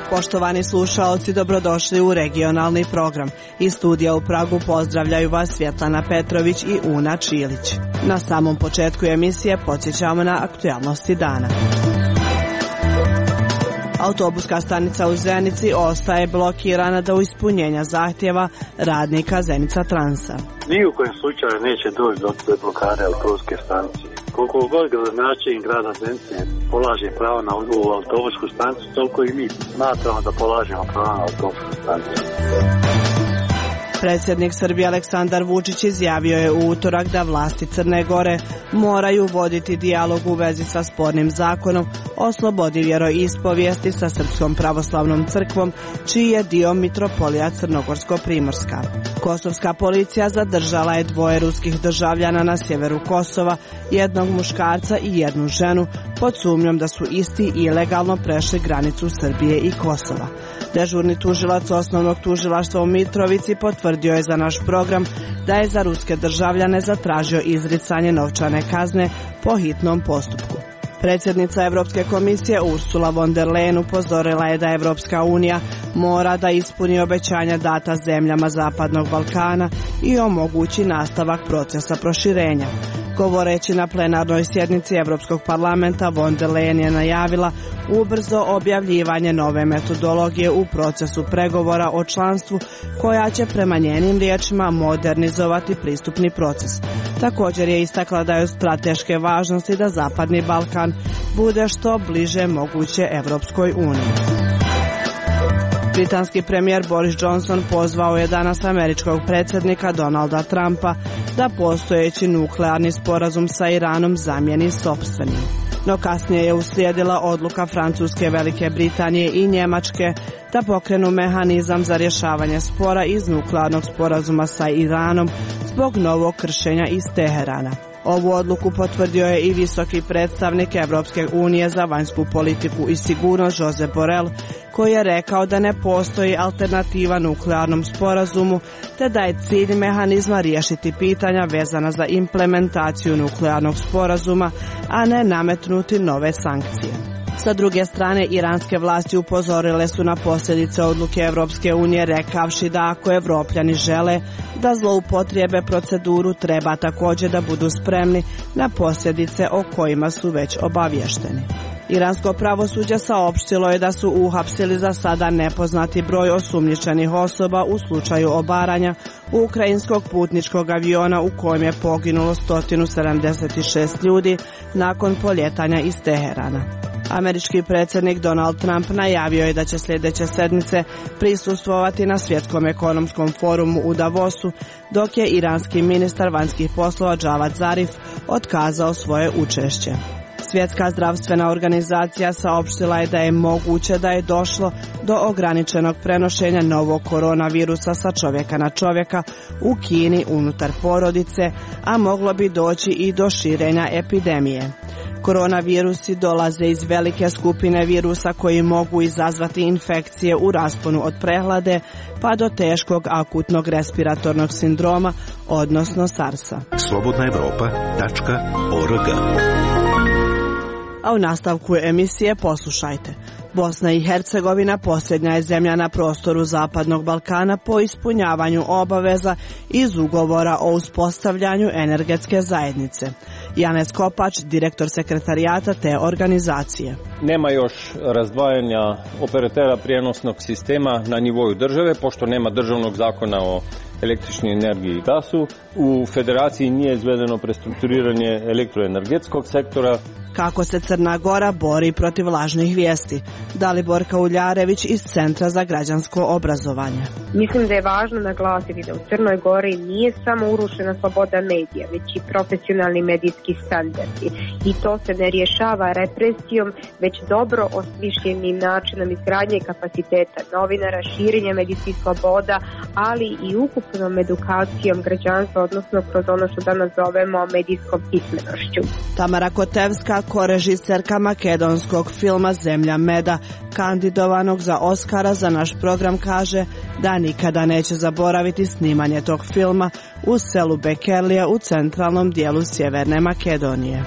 Poštovani slušaoci, dobrodošli u regionalni program. Iz studija u Pragu pozdravljaju vas Svjetlana Petrović i Una Čilić. Na samom početku emisije podsjećamo na aktualnosti dana. Autobuska stanica u Zenici ostaje blokirana do ispunjenja zahtjeva radnika Zenica Transa. Ni u kojem slučaju neće doći do blokade autobuske stanice. Koliko god gradonačelnik grada Zenice polaže pravo na autobusku stanicu, toliko i mi smatramo da polažemo pravo na autobusku stanicu. Predsjednik Srbije Aleksandar Vučić izjavio je u utorak da vlasti Crne Gore moraju voditi dijalog u vezi sa spornim zakonom o slobodi vjeroispovijesti sa Srpskom pravoslavnom crkvom, čiji je dio mitropolija Crnogorsko-Primorska. Kosovska policija zadržala je 2 ruskih državljana na sjeveru Kosova, jednog muškarca i jednu ženu, pod sumnjom da su isti ilegalno prešli granicu Srbije i Kosova. Dežurni tužilac osnovnog tužilaštva u Mitrovici potvrdio je za naš program da je za ruske državljane zatražio izricanje novčane kazne po hitnom postupku. Predsjednica Europske komisije Ursula von der Leyen upozorila je da Europska unija mora da ispuni obećanja data zemljama Zapadnog Balkana i omogući nastavak procesa proširenja. Govoreći na plenarnoj sjednici Europskog parlamenta, von der Leyen je najavila ubrzo objavljivanje nove metodologije u procesu pregovora o članstvu, koja će prema njenim riječima modernizovati pristupni proces. Također je istakla da je od strateške važnosti da Zapadni Balkan bude što bliže moguće Europskoj uniji. Britanski premijer Boris Johnson pozvao je danas američkog predsjednika Donalda Trumpa da postojeći nuklearni sporazum sa Iranom zamijeni sopstvenim. No kasnije je uslijedila odluka Francuske, Velike Britanije i Njemačke da pokrenu mehanizam za rješavanje spora iz nuklearnog sporazuma sa Iranom zbog novog kršenja iz Teherana. Ovu odluku potvrdio je i visoki predstavnik Europske unije za vanjsku politiku i sigurnost Josep Borrell, koji je rekao da ne postoji alternativa nuklearnom sporazumu, te da je cilj mehanizma riješiti pitanja vezana za implementaciju nuklearnog sporazuma, a ne nametnuti nove sankcije. Sa druge strane, iranske vlasti upozorile su na posljedice odluke Europske unije, rekavši da ako Evropljani žele da zloupotrijebe proceduru, treba također da budu spremni na posljedice o kojima su već obavješteni. Iransko pravosuđe saopštilo je da su uhapsili za sada nepoznati broj osumnjičenih osoba u slučaju obaranja ukrajinskog putničkog aviona u kojem je poginulo 176 ljudi nakon poljetanja iz Teherana. Američki predsjednik Donald Trump najavio je da će sljedeće sedmice prisustvovati na Svjetskom ekonomskom forumu u Davosu, dok je iranski ministar vanjskih poslova Javad Zarif otkazao svoje učešće. Svjetska zdravstvena organizacija saopštila je da je moguće da je došlo do ograničenog prenošenja novog koronavirusa sa čovjeka na čovjeka u Kini unutar porodice, a moglo bi doći i do širenja epidemije. Koronavirusi dolaze iz velike skupine virusa koji mogu izazvati infekcije u rasponu od prehlade pa do teškog akutnog respiratornog sindroma, odnosno SARS-a. slobodnaevropa.org. A u nastavku emisije poslušajte. Bosna i Hercegovina posljednja je zemlja na prostoru Zapadnog Balkana po ispunjavanju obaveza iz ugovora o uspostavljanju energetske zajednice. Janez Kopač, direktor sekretarijata te organizacije. Nema još razdvajanja operatera prijenosnog sistema na nivou države, pošto nema državnog zakona o električnoj energiji i gasu. U federaciji nije izvedeno prestrukturiranje elektroenergetskog sektora. Kako se Crna Gora bori protiv lažnih vijesti? Dalibor Kauljarević iz Centra za građansko obrazovanje. Mislim da je važno naglasiti da u Crnoj Gori nije samo urušena sloboda medija, već i profesionalni medijski standardi. I to se ne rješava represijom, već dobro osmišljenim načinom izgradnje kapaciteta novinara, širenja medijskih sloboda, ali i ukupnom edukacijom građanstva, odnosno kroz ono što danas zovemo medijskom pismenošću. Tamara Kotevska, Ivana, korežiserka makedonskog filma Zemlja meda, kandidovanog za Oskara, za naš program kaže da nikada neće zaboraviti snimanje tog filma u selu Bekerlija u centralnom dijelu Sjeverne Makedonije.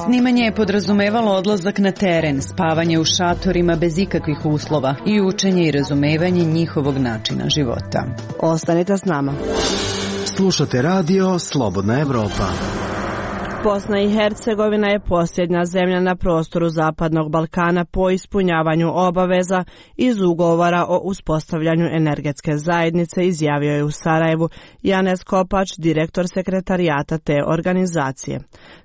Snimanje je podrazumevalo odlazak na teren, spavanje u šatorima bez ikakvih uslova i učenje i razumevanje njihovog načina života. Ostanite s nama. Slušate radio Slobodna Evropa. Bosna i Hercegovina je posljednja zemlja na prostoru Zapadnog Balkana po ispunjavanju obaveza iz ugovora o uspostavljanju energetske zajednice, izjavio je u Sarajevu Janez Kopač, direktor sekretarijata te organizacije.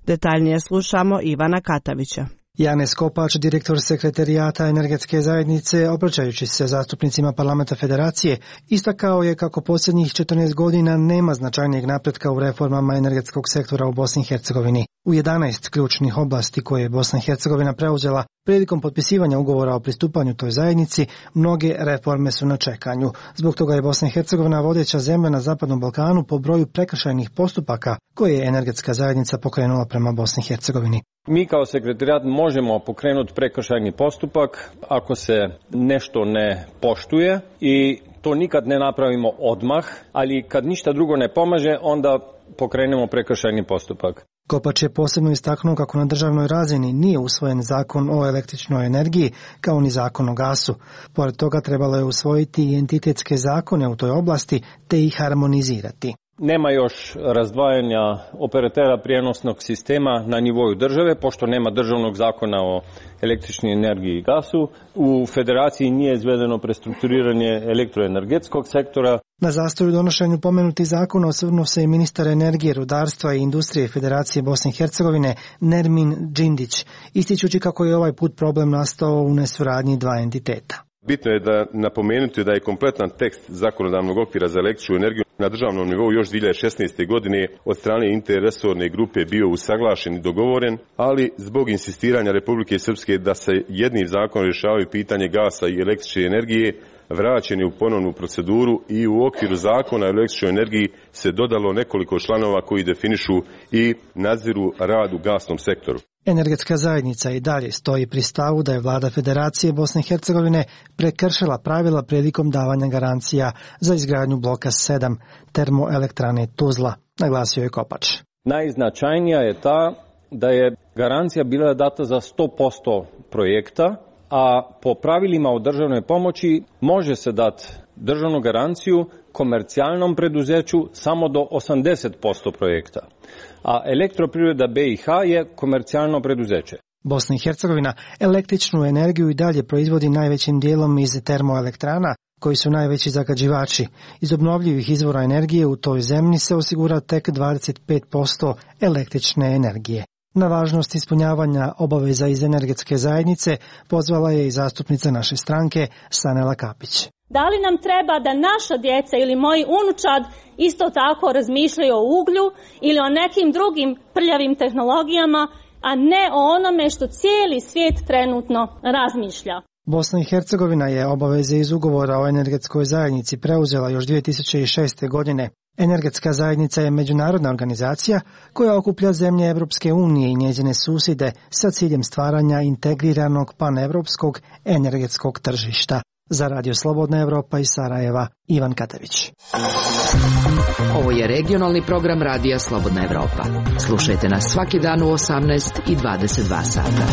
Detaljnije slušamo Ivana Katavića. Janez Kopač, direktor sekretarijata energetske zajednice, obraćajući se zastupnicima Parlamenta Federacije, istakao je kako posljednjih 14 godina nema značajnijeg napretka u reformama energetskog sektora u Bosni i Hercegovini. U 11 ključnih oblasti koje je Bosna i Hercegovina preuzela prilikom potpisivanja ugovora o pristupanju toj zajednici, mnoge reforme su na čekanju. Zbog toga je Bosna i Hercegovina vodeća zemlja na Zapadnom Balkanu po broju prekršajnih postupaka koje je energetska zajednica pokrenula prema Bosni i Hercegovini. Mi kao sekretarijat možemo pokrenuti prekršajni postupak ako se nešto ne poštuje i to nikad ne napravimo odmah, ali kad ništa drugo ne pomaže, onda pokrenemo prekršajni postupak. Kopač je posebno istaknuo kako na državnoj razini nije usvojen zakon o električnoj energiji kao ni zakon o gasu. Pored toga trebalo je usvojiti i entitetske zakone u toj oblasti te ih harmonizirati. Nema još razdvajanja operatera prijenosnog sistema na nivou države, pošto nema državnog zakona o električnoj energiji i gasu. U Federaciji nije izvedeno prestrukturiranje elektroenergetskog sektora. Na zastoju donošenju pomenuti zakona osvrnuo se i ministar energije, rudarstva i industrije Federacije Bosne i Hercegovine Nermin Džindić, ističući kako je ovaj put problem nastao u nesuradnji dva entiteta. Bitno je da napomenuti da je kompletan tekst zakonodavnog okvira za električnu energiju na državnom nivou još 2016. godine od strane interresorne grupe bio usaglašen i dogovoren, ali zbog insistiranja Republike Srpske da se jednim zakonom rješavaju pitanje gasa i električne energije, vraćen je u ponovnu proceduru i u okviru zakona o električnoj energiji se dodalo nekoliko članova koji definišu i nadziru rad u gasnom sektoru. Energetska zajednica i dalje stoji pri stavu da je vlada Federacije Bosne i Hercegovine prekršila pravila prilikom davanja garancija za izgradnju bloka 7 termoelektrane Tuzla, naglasio je Kopač. Najznačajnija je ta da je garancija bila data za 100% projekta, a po pravilima o državnoj pomoći može se dati državnu garanciju komercijalnom preduzeću samo do 80% projekta. A Elektroprivreda BiH je komercijalno preduzeće. Bosna i Hercegovina električnu energiju i dalje proizvodi najvećim dijelom iz termoelektrana, koji su najveći zagađivači. Iz obnovljivih izvora energije u toj zemlji se osigura tek 25% električne energije. Na važnost ispunjavanja obaveza iz energetske zajednice pozvala je i zastupnica naše stranke Sanela Kapić. Da li nam treba da naša djeca ili moji unučad isto tako razmišljaju o uglju ili o nekim drugim prljavim tehnologijama, a ne o onome što cijeli svijet trenutno razmišlja? Bosna i Hercegovina je obaveze iz ugovora o energetskoj zajednici preuzela još 2006. godine. Energetska zajednica je međunarodna organizacija koja okuplja zemlje Evropske unije i njezine susjede sa ciljem stvaranja integriranog panevropskog energetskog tržišta. Za Radio Slobodna Evropa iz Sarajeva, Ivan Katavić. Ovo je regionalni program Radija Slobodna Evropa. Slušajte nas svaki dan u 18 i 22 sata.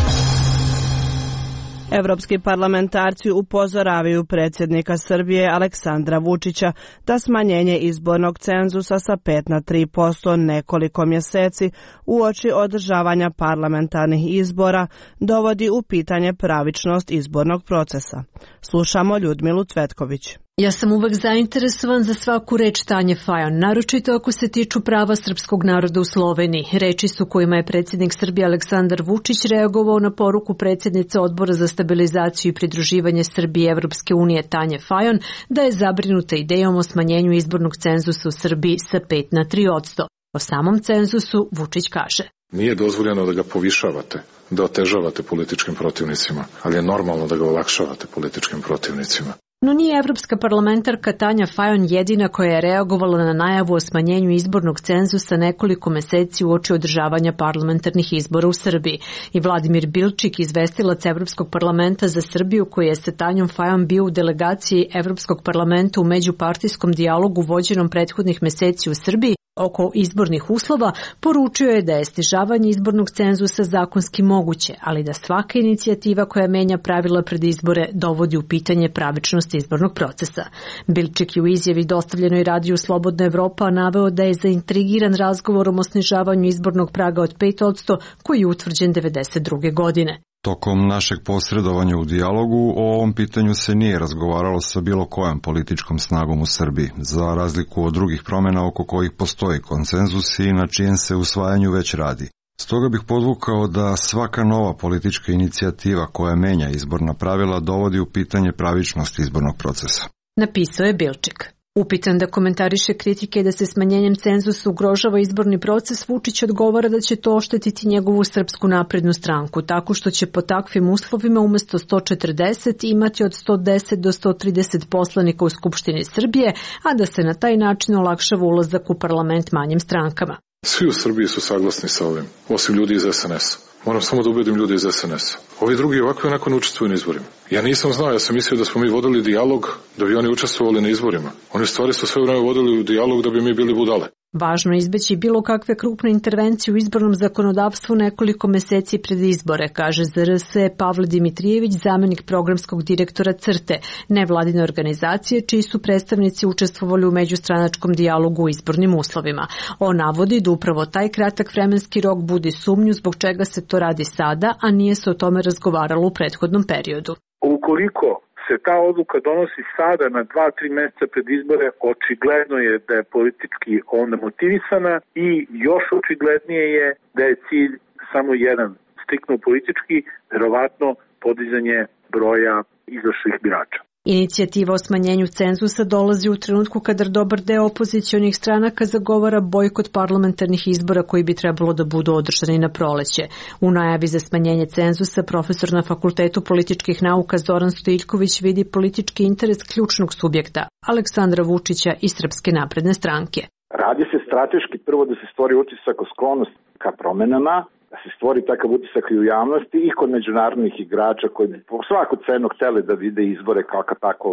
Evropski parlamentarci upozoravaju predsjednika Srbije Aleksandra Vučića da smanjenje izbornog cenzusa sa 5 na 3% nekoliko mjeseci uoči održavanja parlamentarnih izbora dovodi u pitanje pravičnost izbornog procesa. Slušamo Ljudmilu Cvetković. Ja sam uvek zainteresovan za svaku reč Tanje Fajon, naročito ako se tiču prava srpskog naroda u Sloveniji. Reči su kojima je predsjednik Srbije Aleksandar Vučić reagovao na poruku predsjednice Odbora za stabilizaciju i pridruživanje Srbije Evropske unije Tanje Fajon da je zabrinuta idejom o smanjenju izbornog cenzusa u Srbiji sa 5 na 3%. O samom cenzusu Vučić kaže: Nije dozvoljeno da ga povišavate, da otežavate političkim protivnicima, ali je normalno da ga olakšavate političkim protivnicima. No nije evropska parlamentarka Tanja Fajon jedina koja je reagovala na najavu o smanjenju izbornog cenzusa nekoliko meseci uoči održavanja parlamentarnih izbora u Srbiji. I Vladimir Bilčik, izvestilac Evropskog parlamenta za Srbiju, koji je sa Tanjom Fajon bio u delegaciji Evropskog parlamenta u međupartijskom dijalogu vođenom prethodnih meseci u Srbiji oko izbornih uslova, poručio je da je snižavanje izbornog cenzusa zakonski moguće, ali da svaka inicijativa koja menja pravila pred izbore dovodi u pitanje pravičnost izbornog procesa. Bilčik je u izjavi dostavljenoj radiju Slobodna Evropa naveo da je zaintrigiran razgovorom o snižavanju izbornog praga od 5%, koji je utvrđen 1992. godine. Tokom našeg posredovanja u dijalogu o ovom pitanju se nije razgovaralo sa bilo kojom političkom snagom u Srbiji, za razliku od drugih promjena oko kojih postoji konsenzus i na čijem se usvajanju već radi. Stoga bih podvukao da svaka nova politička inicijativa koja menja izborna pravila dovodi u pitanje pravičnost izbornog procesa. Napisao je Bilčik. Upitan da komentariše kritike da se smanjenjem cenzusa ugrožava izborni proces, Vučić odgovara da će to oštetiti njegovu Srpsku naprednu stranku, tako što će po takvim uslovima umesto 140 imati od 110 do 130 poslanika u Skupštini Srbije, a da se na taj način olakšava ulazak u parlament manjim strankama. Svi u Srbiji su saglasni sa ovim, osim ljudi iz SNS-a. Moram samo da ubedim ljude iz SNS-a. Ovi drugi ovako i onako ne učestvuju na izborima. Ja nisam znao, ja sam mislio da smo mi vodili dijalog da bi oni učestvovali na izborima. Oni stvari su sve vreme vodili u dijalog da bi mi bili budale. Važno je izbeći bilo kakve krupne intervencije u izbornom zakonodavstvu nekoliko meseci pred izbore, kaže za RS Pavle Dimitrijević, zamenik programskog direktora CRTE, nevladine organizacije čiji su predstavnici učestvovali u međustranačkom dijalogu u izbornim uslovima. On navodi da upravo taj kratak vremenski rok budi sumnju zbog čega se to radi sada, a nije se o tome razgovaralo u prethodnom periodu. Ukoliko se ta odluka donosi sada na 2-3 meseca pred izbore, očigledno je da je politički onda motivisana i još očiglednije je da je cilj samo jedan, striktno politički, verovatno podizanje broja izašlih birača. Inicijativa o smanjenju cenzusa dolazi u trenutku kada dobar deo opozicionih stranaka zagovara bojkot parlamentarnih izbora koji bi trebalo da budu održani na proleće. U najavi za smanjenje cenzusa profesor na Fakultetu političkih nauka Zoran Stojiljković vidi politički interes ključnog subjekta, Aleksandra Vučića i Srpske napredne stranke. Radi se strateški prvo da se stvori utisak o sklonost ka promenama, da se stvori takav utisak i u javnosti i kod međunarodnih igrača koji bi po svaku cenu hteli da vide izbore kao tako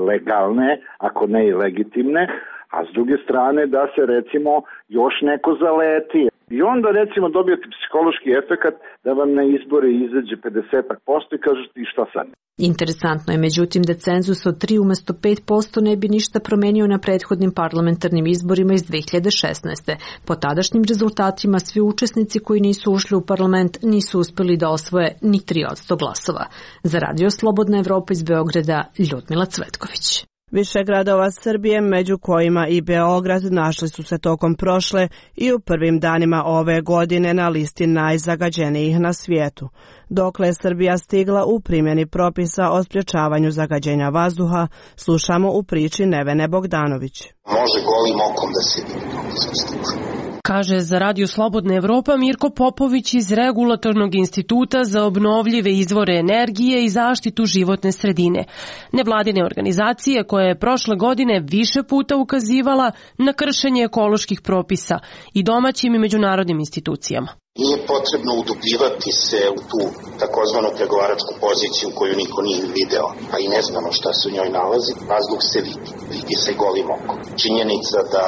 legalne, ako ne i legitimne, a s druge strane da se recimo još neko zaleti. I onda recimo dobijete psihološki efekat da vam na izbore izađe 50% i kažete i šta sad? Interesantno je međutim da cenzus od 3 umesto 5% ne bi ništa promenio na prethodnim parlamentarnim izborima iz 2016. Po tadašnjim rezultatima svi učesnici koji nisu ušli u parlament nisu uspeli da osvoje ni 3% glasova. Za Radio Slobodna Evropa iz Beograda, Ljudmila Cvetković. Više gradova Srbije, među kojima i Beograd, našli su se tokom prošle i u prvim danima ove godine na listi najzagađenijih na svijetu. Dokle je Srbija stigla u primjeni propisa o sprječavanju zagađenja vazduha, slušamo u priči Nevene Bogdanović. Može golim okom da se vidi. Kaže za Radio Slobodna Evropa Mirko Popović iz Regulatornog instituta za obnovljive izvore energije i zaštitu životne sredine. Nevladine organizacije koja je prošle godine više puta ukazivala na kršenje ekoloških propisa i domaćim i međunarodnim institucijama. Nije potrebno udubljivati se u tu takozvanu pregovaračku poziciju koju niko nije video, a i ne znamo šta se u njoj nalazi. Vazduh se vidi se golim okom. Činjenica da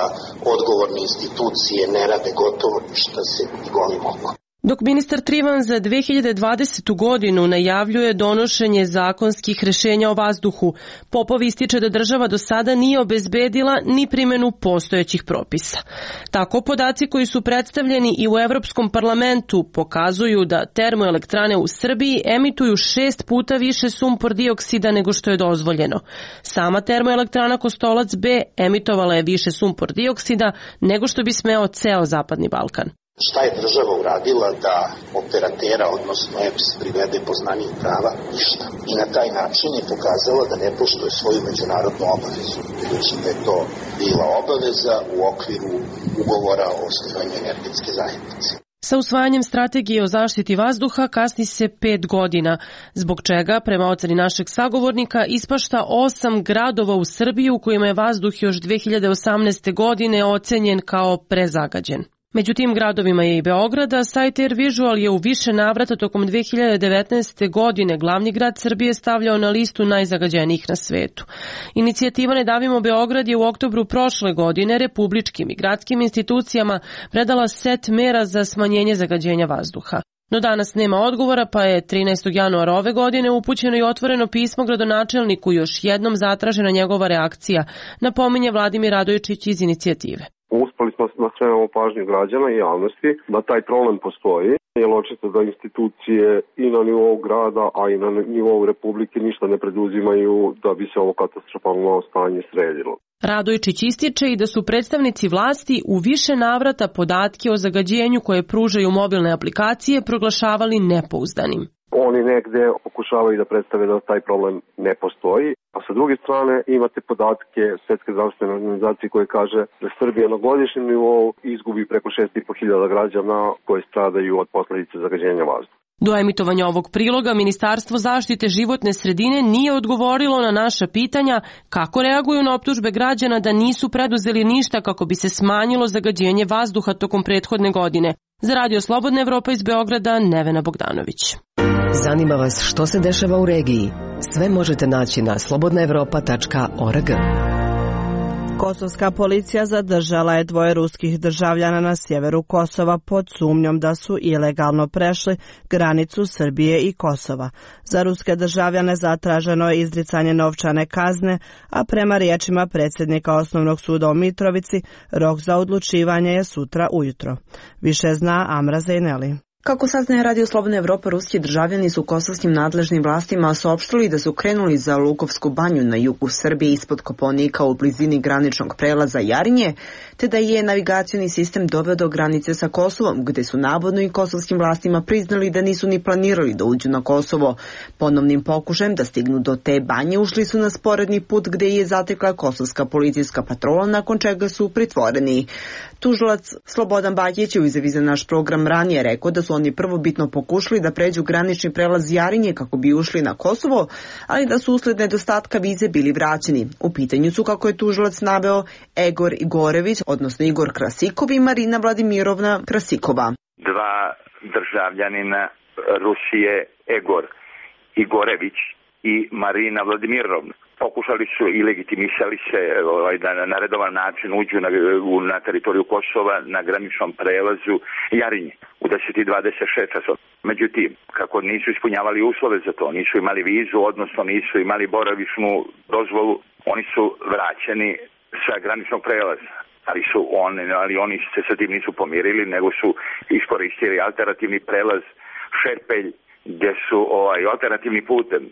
odgovorne institucije ne rade gotovo ništa se vidi golim okom. Dok ministar Trivan za 2020. godinu najavljuje donošenje zakonskih rešenja o vazduhu, Popov ističe da država do sada nije obezbedila ni primjenu postojećih propisa. Tako podaci koji su predstavljeni i u Evropskom parlamentu pokazuju da termoelektrane u Srbiji emituju 6 puta više sumpor dioksida nego što je dozvoljeno. Sama termoelektrana Kostolac B emitovala je više sumpor dioksida nego što bi smeo ceo Zapadni Balkan. Šta je država uradila da operatera, odnosno EPS, privede poznanijih prava? Ništa. I na taj način je pokazala da ne poštuje svoju međunarodnu obavezu. Budući da je to bila obaveza u okviru ugovora o osnivanju energetske zajednice. Sa usvajanjem strategije o zaštiti vazduha kasni se 5 godina, zbog čega, prema oceni našeg sagovornika, ispašta 8 gradova u Srbiji u kojima je vazduh još 2018. godine ocenjen kao prezagađen. Među tim gradovima je i Beograda. Sajt Air Visual je u više navrata tokom 2019. godine glavni grad Srbije stavljao na listu najzagađenijih na svetu. Inicijativa Ne davimo Beograd je u oktobru prošle godine republičkim i gradskim institucijama predala set mera za smanjenje zagađenja vazduha. No danas nema odgovora, pa je 13. januara ove godine upućeno i otvoreno pismo gradonačelniku, još jednom zatražena njegova reakcija, napominje Vladimir Radojičić iz inicijative. Uspeli smo da skrenemo pažnju građana i javnosti da taj problem postoji, jer očito da institucije i na nivou grada, a i na nivou Republike ništa ne preduzimaju da bi se ovo katastrofalno stanje sredilo. Radojičić ističe i da su predstavnici vlasti u više navrata podatke o zagađenju koje pružaju mobilne aplikacije proglašavali nepouzdanim. Oni negde pokušavaju da predstave da taj problem ne postoji, a sa druge strane imate podatke Svetske zdravstvene organizacije koje kaže da Srbija na godišnjem nivou izgubi preko 6.500 građana koje stradaju od posledice zagađenja vazduha. Do emitovanja ovog priloga Ministarstvo zaštite životne sredine nije odgovorilo na naša pitanja kako reaguju na optužbe građana da nisu preduzeli ništa kako bi se smanjilo zagađenje vazduha tokom prethodne godine. Za Radio Slobodna Evropa iz Beograda, Nevena Bogdanović. Zanima vas što se dešava u regiji? Sve možete naći na slobodnaevropa.org. Kosovska policija zadržala je 2 ruskih državljana na sjeveru Kosova pod sumnjom da su ilegalno prešli granicu Srbije i Kosova. Za ruske državljane zatraženo je izricanje novčane kazne, a prema riječima predsjednika Osnovnog suda u Mitrovici, rok za odlučivanje je sutra ujutro. Više zna Amra Zejneli. Kako saznaje Radio Slobodna Evropa, ruski državljani su kosovskim nadležnim vlastima saopštili da su krenuli za Lukovsku banju na jugu Srbije ispod Kopaonika u blizini graničnog prelaza Jarinje, te da je navigacioni sistem doveo do granice sa Kosovom, gde su navodno i kosovskim vlastima priznali da nisu ni planirali da uđu na Kosovo. Ponovnim pokušajem da stignu do te banje ušli su na sporedni put gde je zatekla kosovska policijska patrola, nakon čega su pritvoreni. Tužilac Slobodan Bakić je u izjavi za naš program ranije rekao da su oni prvobitno pokušali da pređu granični prelaz Jarinje kako bi ušli na Kosovo, ali da su usled nedostatka vize bili vraćeni. U pitanju su, kako je tužilac naveo, Egor Igorević, odnosno Igor Krasikov i Marina Vladimirovna Krasikova. 2 državljanina Rusije, Egor Igorević i Marina Vladimirovna. Pokušali su i legitimisali se da na redovan način uđu na teritoriju Kosova na graničnom prelazu Jarinje u 10:26 časova. Međutim, kako nisu ispunjavali uslove za to, nisu imali vizu, odnosno nisu imali boravišnu dozvolu, oni su vraćeni sa graničnog prelaza. Ali oni se sa tim nisu pomirili, nego su iskoristili alternativni prelaz Šerpelj, gdje su alternativni putem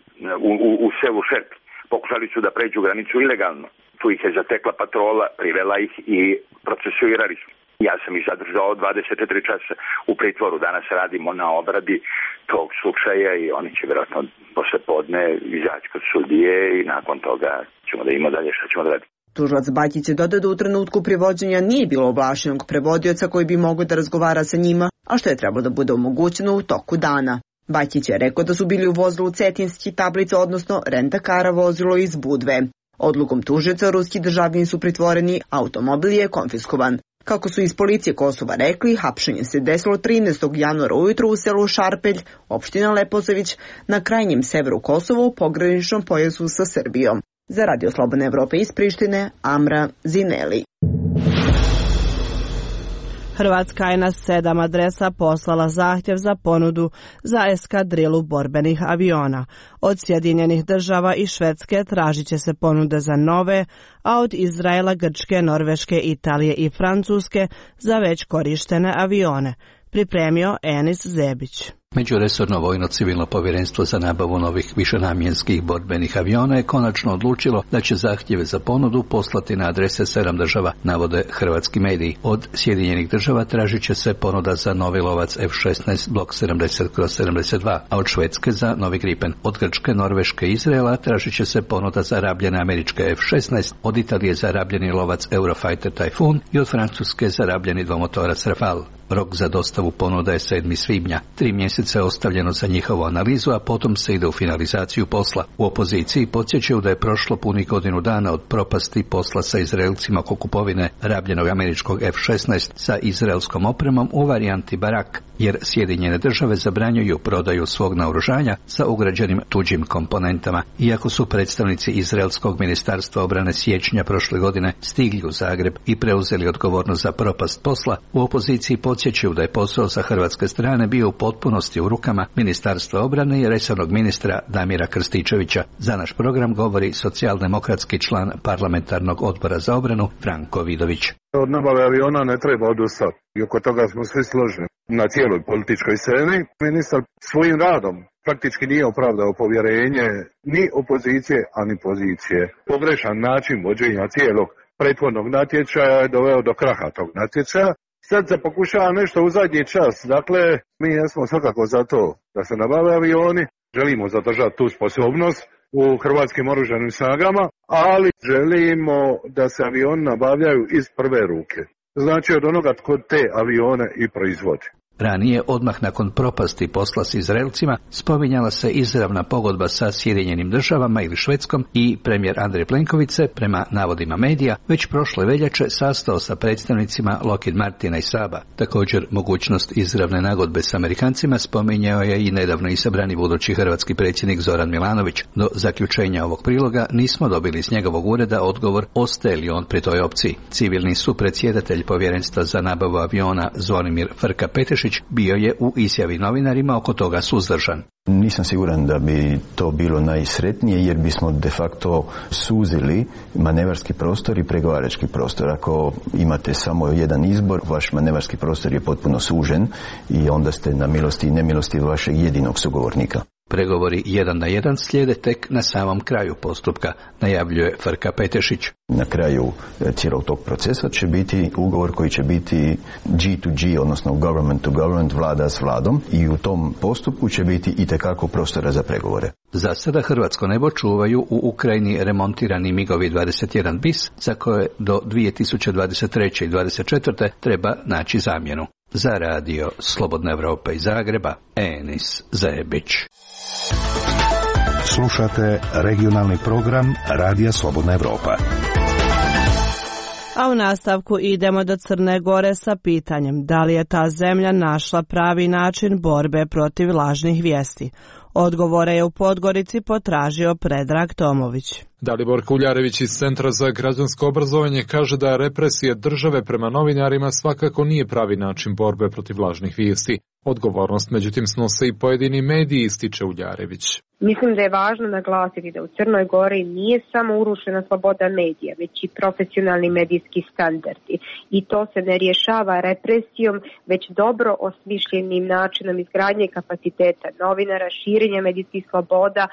u selu Šerpelj. Pokušali su da pređu granicu ilegalno. Tu ih je zatekla patrola, privela ih i procesuirali su. Ja sam ih zadržao 24 časa u pritvoru. Danas radimo na obradi tog slučaja i oni će vjerojatno posle podne izaći kod sudije i nakon toga ćemo da imamo dalje šta ćemo da radimo. Tužilac Bakić je dodao da u trenutku privođenja nije bilo ovlašćenog prevodioca koji bi mogao da razgovara sa njima, a što je trebalo da bude omogućeno u toku dana. Bakić je rekao da su bili u vozilu Cetinski tablica, odnosno rentakara vozilo iz Budve. Odlukom tužioca ruski državljani su pritvoreni, automobil je konfiskovan. Kako su iz policije Kosova rekli, hapšenje se desilo 13. januara ujutru u selu Šarpelj, opština Leposavić, na krajnjem severu Kosova u pograničnom pojasu sa Srbijom. Za Radio Slobodna Evropa iz Prištine, Amra Zineli. Hrvatska je na 7 adresa poslala zahtjev za ponudu za eskadrilu borbenih aviona. Od Sjedinjenih država i Švedske tražit će se ponude za nove, a od Izraela, Grčke, Norveške, Italije i Francuske za već korištene avione. Pripremio Enis Zebić. Međuresorno vojno-civilno povjerenstvo za nabavu novih višenamjenskih borbenih aviona je konačno odlučilo da će zahtjeve za ponudu poslati na adrese 7 država, navode hrvatski mediji. Od Sjedinjenih država tražit će se ponuda za novi lovac F-16 Blok 70/72, a od Švedske za novi Gripen. Od Grčke, Norveške i Izraela tražit će se ponuda za rabljene američke F-16, od Italije za rabljeni lovac Eurofighter Typhoon i od Francuske za rabljeni dvomotorac Rafale. Rok za dostavu ponuda je 7. svibnja. 3 mjeseca je ostavljeno za njihovu analizu, a potom se ide u finalizaciju posla. U opoziciji podsjećaju da je prošlo punih godinu dana od propasti posla sa Izraelcima oko kupovine rabljenog američkog F-16 sa izraelskom opremom u varijanti Barak, jer Sjedinjene države zabranjuju prodaju svog naoružanja sa ugrađenim tuđim komponentama. Iako su predstavnici Izraelskog ministarstva obrane siječnja prošle godine stigli u Zagreb i preuzeli odgovornost za propast posla, u opoziciji podsjećaju da je posao sa hrvatske strane bio u potpunosti u rukama Ministarstva obrane i resornog ministra Damira Krstičevića. Za naš program govori socijaldemokratski član parlamentarnog odbora za obranu Franko Vidović. Od nabave aviona ne treba odustati i oko toga smo svi složni na cijeloj političkoj sceni. Ministar svojim radom praktički nije opravdao povjerenje ni opozicije, a ni pozicije. Pogrešan način vođenja cijelog prethodnog natječaja je doveo do kraha tog natječaja. Sad se pokušava nešto u zadnji čas. Dakle, mi jesmo svakako za to da se nabave avioni, želimo zadržati tu sposobnost u hrvatskim oružanim snagama, ali želimo da se avioni nabavljaju iz prve ruke. Znači od onoga tko te avione i proizvodi. Ranije, odmah nakon propasti posla s Izraelcima, spominjala se izravna pogodba sa Sjedinjenim državama ili Švedskom i premijer Andrej Plenković se, prema navodima medija, već prošle veljače sastao sa predstavnicima Lockheed Martina i Saaba. Također, mogućnost izravne nagodbe s Amerikancima spominjao je i nedavno izabrani budući hrvatski predsjednik Zoran Milanović. Do zaključenja ovog priloga nismo dobili iz njegovog ureda odgovor ostaje li on pri toj opciji. Civilni supredsjedatelj povjerenstva za nabavu aviona Zvonimir Frka-Petešić bio je u izjavi novinarima oko toga suzdržan. Nisam siguran da bi to bilo najsretnije jer bismo de facto suzili manevarski prostor i pregovarački prostor. Ako imate samo jedan izbor, vaš manevarski prostor je potpuno sužen i onda ste na milosti i nemilosti vašeg jedinog sugovornika. Pregovori 1 na 1 slijede tek na samom kraju postupka, najavljuje Frka-Petešić. Na kraju cijelog tog procesa će biti ugovor koji će biti G2G, odnosno government to government, vlada s vladom, i u tom postupku će biti itekako prostora za pregovore. Za sada hrvatsko nebo čuvaju u Ukrajini remontirani MiG-ovi 21 bis, za koje do 2023. i 2024. treba naći zamjenu. Za radio Slobodna Evropa iz Zagreba, Enis Zebić. Slušate regionalni program Radija Slobodna Evropa. A u nastavku idemo do Crne Gore sa pitanjem da li je ta zemlja našla pravi način borbe protiv lažnih vijesti. Odgovore je u Podgorici potražio Predrag Tomović. Dalibor Kuljarević iz Centra za građansko obrazovanje kaže da represije države prema novinarima svakako nije pravi način borbe protiv lažnih vijesti. Odgovornost međutim snose i pojedini mediji, ističe Uljarević. Mislim da je važno naglasiti da u Crnoj Gori nije samo urušena sloboda medija, već i profesionalni medijski standardi. I to se ne rješava represijom, već dobro osmišljenim načinom izgradnje kapaciteta novinara, širenja medijskih sloboda,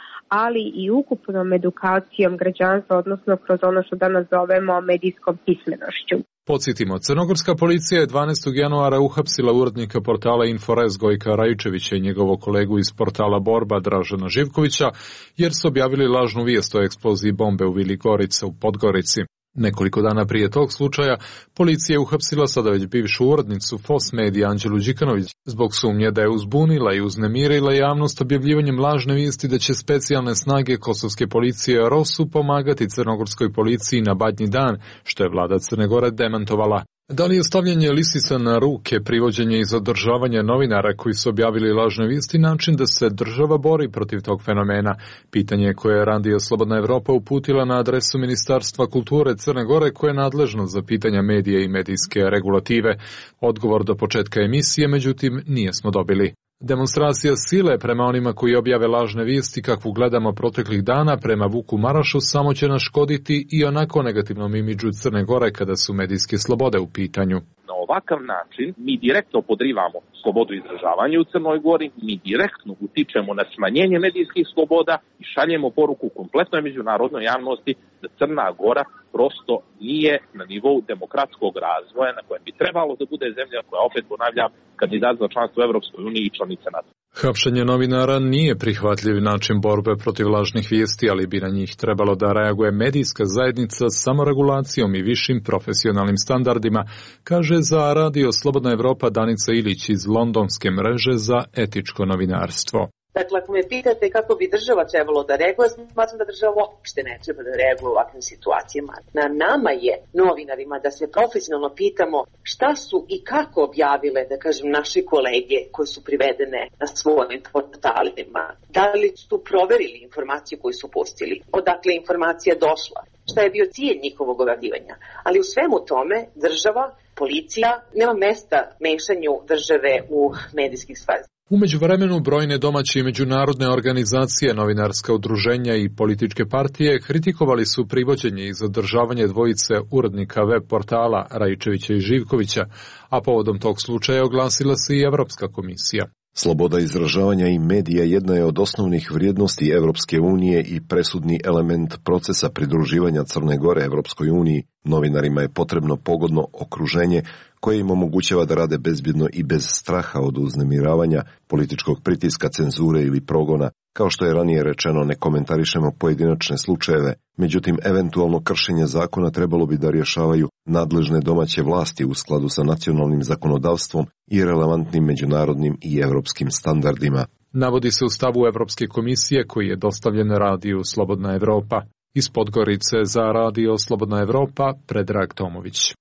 ali i ukupnom edukacijom građanstva, odnosno kroz ono što danas zovemo medijskom pismenošću. Podsjetimo, crnogorska policija je 12. januara uhapsila urednika portala Inforez Gojka Rajčevića i njegovog kolegu iz portala Borba Dražena Živkovića, jer su objavili lažnu vijest o eksploziji bombe u Vili Gorica u Podgorici. Nekoliko dana prije tog slučaja policija je uhapsila sada već bivšu urednicu FOS Medija Anđelu Đikanović zbog sumnje da je uzbunila i uznemirila javnost objavljivanjem lažne vijesti da će specijalne snage kosovske policije ROSU pomagati crnogorskoj policiji na Badnji dan, što je vlada Crne Gore demantovala. Da li je stavljanje lisica na ruke, privođenje i zadržavanje novinara koji su objavili lažne vijesti način da se država bori protiv tog fenomena? Pitanje koje je Radio Slobodna Evropa uputila na adresu Ministarstva kulture Crne Gore koje je nadležno za pitanja medija i medijske regulative. Odgovor do početka emisije, međutim, nijesmo dobili. Demonstracija sile prema onima koji objave lažne vijesti kakvu gledamo proteklih dana prema Vuku Marašu samo će naškoditi i onako negativnom imidžu Crne Gore kada su medijske slobode u pitanju. Na ovakav način mi direktno podrivamo slobodu izražavanja u Crnoj Gori, mi direktno utičemo na smanjenje medijskih sloboda i šaljemo poruku kompletnoj međunarodnoj javnosti da Crna Gora prosto nije na nivou demokratskog razvoja na kojem bi trebalo da bude zemlja koja, opet ponavljam, kandidat za članstvo u Evropskoj uniji i članica NATO. Hapšenje novinara nije prihvatljiv način borbe protiv lažnih vijesti, ali bi na njih trebalo da reaguje medijska zajednica samoregulacijom i višim profesionalnim standardima, kaže za Radio Slobodna Evropa Danica Ilić iz londonske mreže za etičko novinarstvo. Dakle, ako me pitate kako bi država trebalo da reaguje, smatram da država uopšte ne treba da reaguje u ovakvim situacijama. Na nama je, novinarima, da se profesionalno pitamo šta su i kako objavile, da kažem, naše kolege koje su privedene na svojim portalima. Da li su proverili informaciju koju su pustili, odakle je informacija došla, šta je bio cilj njihovog objavljivanja. Ali u svemu tome država, policija, nema mesta mešanju države u medijskih stvari. U međuvremenu brojne domaće i međunarodne organizacije, novinarska udruženja i političke partije kritikovali su privođenje i zadržavanje dvojice urednika web portala Raičevića i Živkovića, a povodom tog slučaja oglasila se i Evropska komisija. Sloboda izražavanja i medija jedna je od osnovnih vrijednosti Evropske unije i presudni element procesa pridruživanja Crne Gore Evropskoj uniji. Novinarima je potrebno pogodno okruženje koje im omogućava da rade bezbjedno i bez straha od uznemiravanja, političkog pritiska, cenzure ili progona. Kao što je ranije rečeno, ne komentarišemo pojedinačne slučajeve, međutim, eventualno kršenje zakona trebalo bi da rješavaju nadležne domaće vlasti u skladu sa nacionalnim zakonodavstvom i relevantnim međunarodnim i evropskim standardima. Navodi se u stavu Evropske komisije koji je dostavljen Radiju Slobodna Evropa. Iz Podgorice za Radio Slobodna Evropa, Predrag Tomović.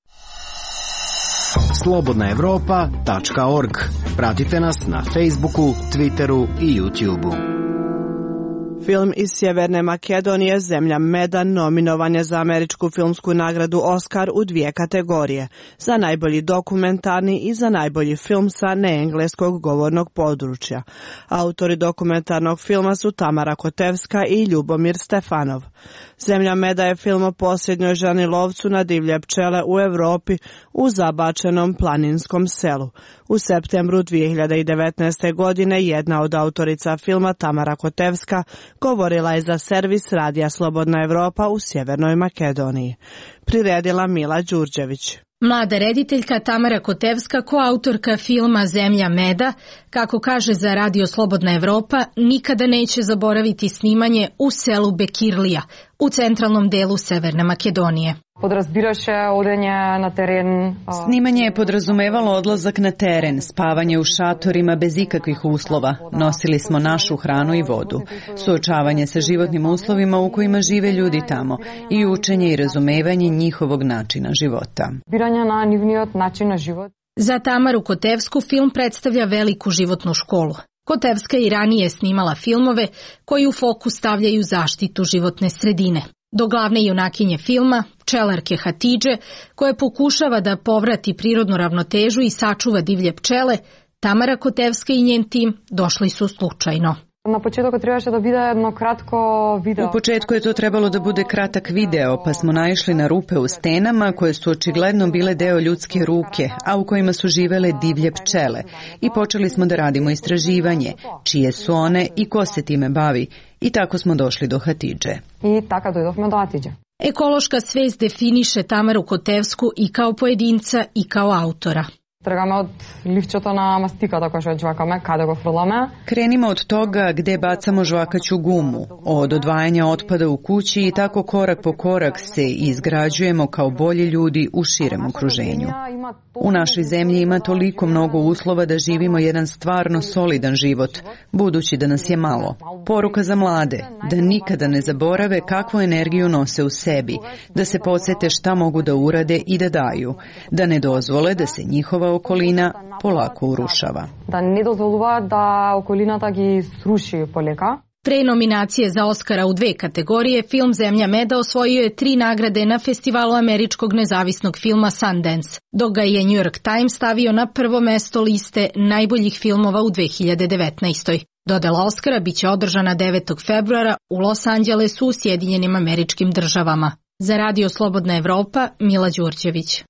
slobodnaevropa.org. Pratite nas na Facebooku, Twitteru i YouTubeu. Film iz Sjeverne Makedonije Zemlja meda nominovan je za američku filmsku nagradu Oscar u 2 kategorije, za najbolji dokumentarni i za najbolji film sa neengleskog govornog područja. Autori dokumentarnog filma su Tamara Kotevska i Ljubomir Stefanov. Zemlja meda je film o posljednjoj ženi lovcu na divlje pčele u Europi u zabačenom planinskom selu. U septembru 2019. godine jedna od autorica filma, Tamara Kotevska, govorila je za servis Radija Slobodna Evropa u Sjevernoj Makedoniji. Priredila Mila Đurđević. Mlada rediteljka Tamara Kotevska, koautorka filma Zemlja meda, kako kaže za Radio Slobodna Evropa, nikada neće zaboraviti snimanje u selu Bekirlija, u centralnom delu Severne Makedonije. Snimanje je podrazumevalo odlazak na teren, spavanje u šatorima bez ikakvih uslova. Nosili smo našu hranu i vodu. Suočavanje sa životnim uslovima u kojima žive ljudi tamo i učenje i razumevanje njihovog načina života. Za Tamaru Kotevsku film predstavlja veliku životnu školu. Kotevska i ranije snimala filmove koji u fokus stavljaju zaštitu životne sredine. Do glavne junakinje filma, pčelarke Hatidže, koja pokušava da povrati prirodnu ravnotežu i sačuva divlje pčele, Tamara Kotevska i njen tim došli su slučajno. U početku je to trebalo da bude kratak video, pa smo naišli na rupe u stenama koje su očigledno bile deo ljudske ruke, a u kojima su živele divlje pčele. I počeli smo da radimo istraživanje, čije su one i ko se time bavi. I tako smo došli do Hatidže. Ekološka svest definiše Tamaru Kotevsku i kao pojedinca i kao autora. Krenimo od toga gde bacamo žvakaću gumu, od odvajanja otpada u kući i tako korak po korak se izgrađujemo kao bolji ljudi u širem okruženju. U našoj zemlji ima toliko mnogo uslova da živimo jedan stvarno solidan život, budući da nas je malo. Poruka za mlade, da nikada ne zaborave kakvu energiju nose u sebi, da se podsete šta mogu da urade i da daju, da ne dozvole da se njihova okolina polako urušava. Pre nominacije za Oscara u 2 kategorije, film Zemlja meda osvojio je 3 nagrade na festivalu američkog nezavisnog filma Sundance, dok ga je New York Times stavio na prvo mesto liste najboljih filmova u 2019. Dodela Oscara biće održana 9. februara u Los Angelesu u Sjedinjenim Američkim Državama. Za Radio Slobodna Evropa, Mila Đurđević.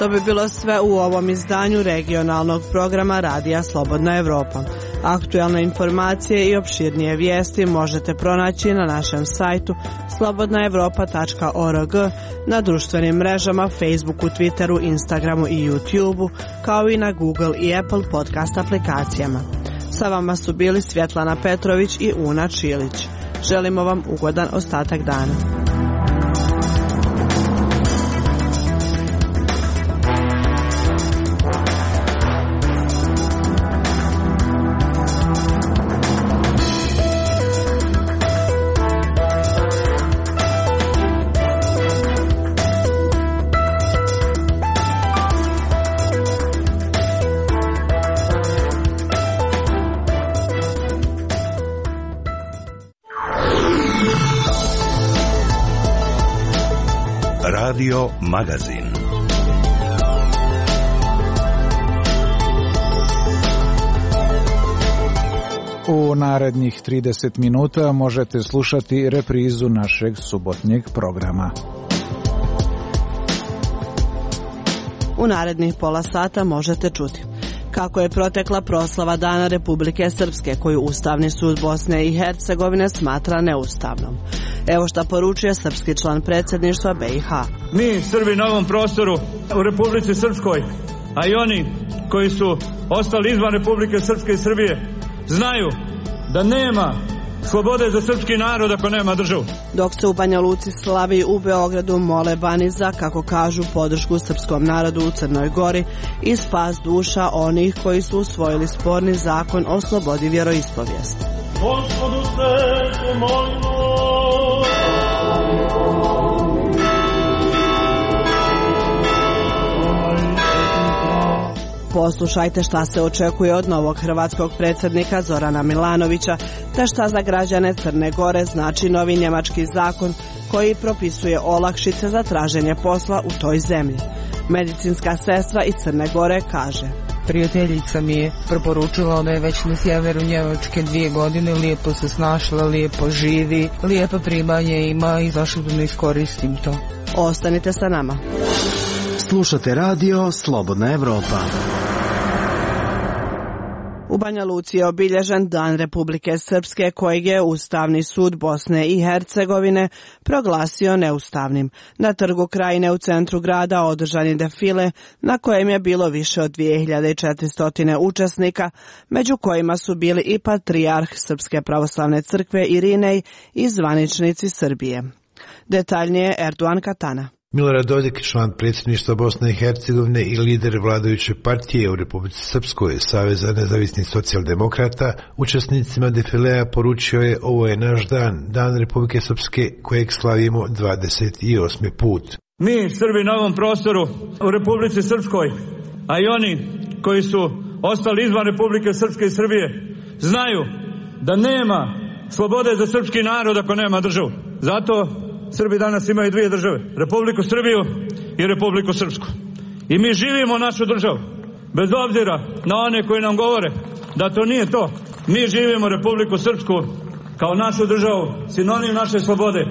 To bi bilo sve u ovom izdanju regionalnog programa Radija Slobodna Evropa. Aktualne informacije i opširnije vijesti možete pronaći na našem sajtu slobodnaevropa.org, na društvenim mrežama Facebooku, Twitteru, Instagramu i YouTubeu, kao i na Google i Apple podcast aplikacijama. Sa vama su bili Svjetlana Petrović i Una Čilić. Želimo vam ugodan ostatak dana. Radio Magazin. U narednih 30 minuta možete slušati reprizu našeg subotnjeg programa. U narednih pola sata možete čuti kako je protekla proslava Dana Republike Srpske, koju Ustavni sud Bosne i Hercegovine smatra neustavnom. Evo šta poručuje srpski član predsjedništva BiH. Mi, Srbi na ovom prostoru u Republici Srpskoj, a i oni koji su ostali izvan Republike Srpske i Srbije, znaju da nema slobode za srpski narod ako nema državu. Dok se u Banja Luci slavi, u Beogradu mole Baniza, kako kažu, podršku srpskom narodu u Crnoj Gori i spas duša onih koji su usvojili sporni zakon o slobodi vjeroispovijesti. Gospodu se molimo. Poslušajte šta se očekuje od novog hrvatskog predsjednika Zorana Milanovića, te šta za građane Crne Gore znači novi njemački zakon koji propisuje olakšice za traženje posla u toj zemlji. Medicinska sestra iz Crne Gore kaže: Prijateljica mi je preporučila da je već na sjeveru Njemačke 2 godine, lijepo se snašla, lijepo živi, lijepo primanje ima i zašto da ne iskoristim to. Ostanite sa nama. Slušate radio Slobodna Evropa. U Banja Luci je obilježen Dan Republike Srpske, kojeg je Ustavni sud Bosne i Hercegovine proglasio neustavnim. Na trgu Krajine u centru grada održan je defile na kojem je bilo više od 2400 učesnika, među kojima su bili i patrijarh Srpske pravoslavne crkve Irinej i zvaničnici Srbije. Detaljnije Erdogan Katana. Milorad Dodik, član predsjedništva Bosne i Hercegovine i lider vladajuće partije u Republici Srpskoj, Saveza nezavisnih socijaldemokrata, učesnicima defilea poručio je: ovo je naš dan, Dan Republike Srpske kojeg slavimo 28. put. Mi, Srbi na ovom prostoru u Republici Srpskoj, a i oni koji su ostali izvan Republike Srpske i Srbije, znaju da nema slobode za srpski narod ako nema državu. Zato Srbi danas imaju 2 države, Republiku Srbiju i Republiku Srpsku. I mi živimo našu državu, bez obzira na one koji nam govore da to nije to. Mi živimo Republiku Srpsku kao našu državu, sinonim naše slobode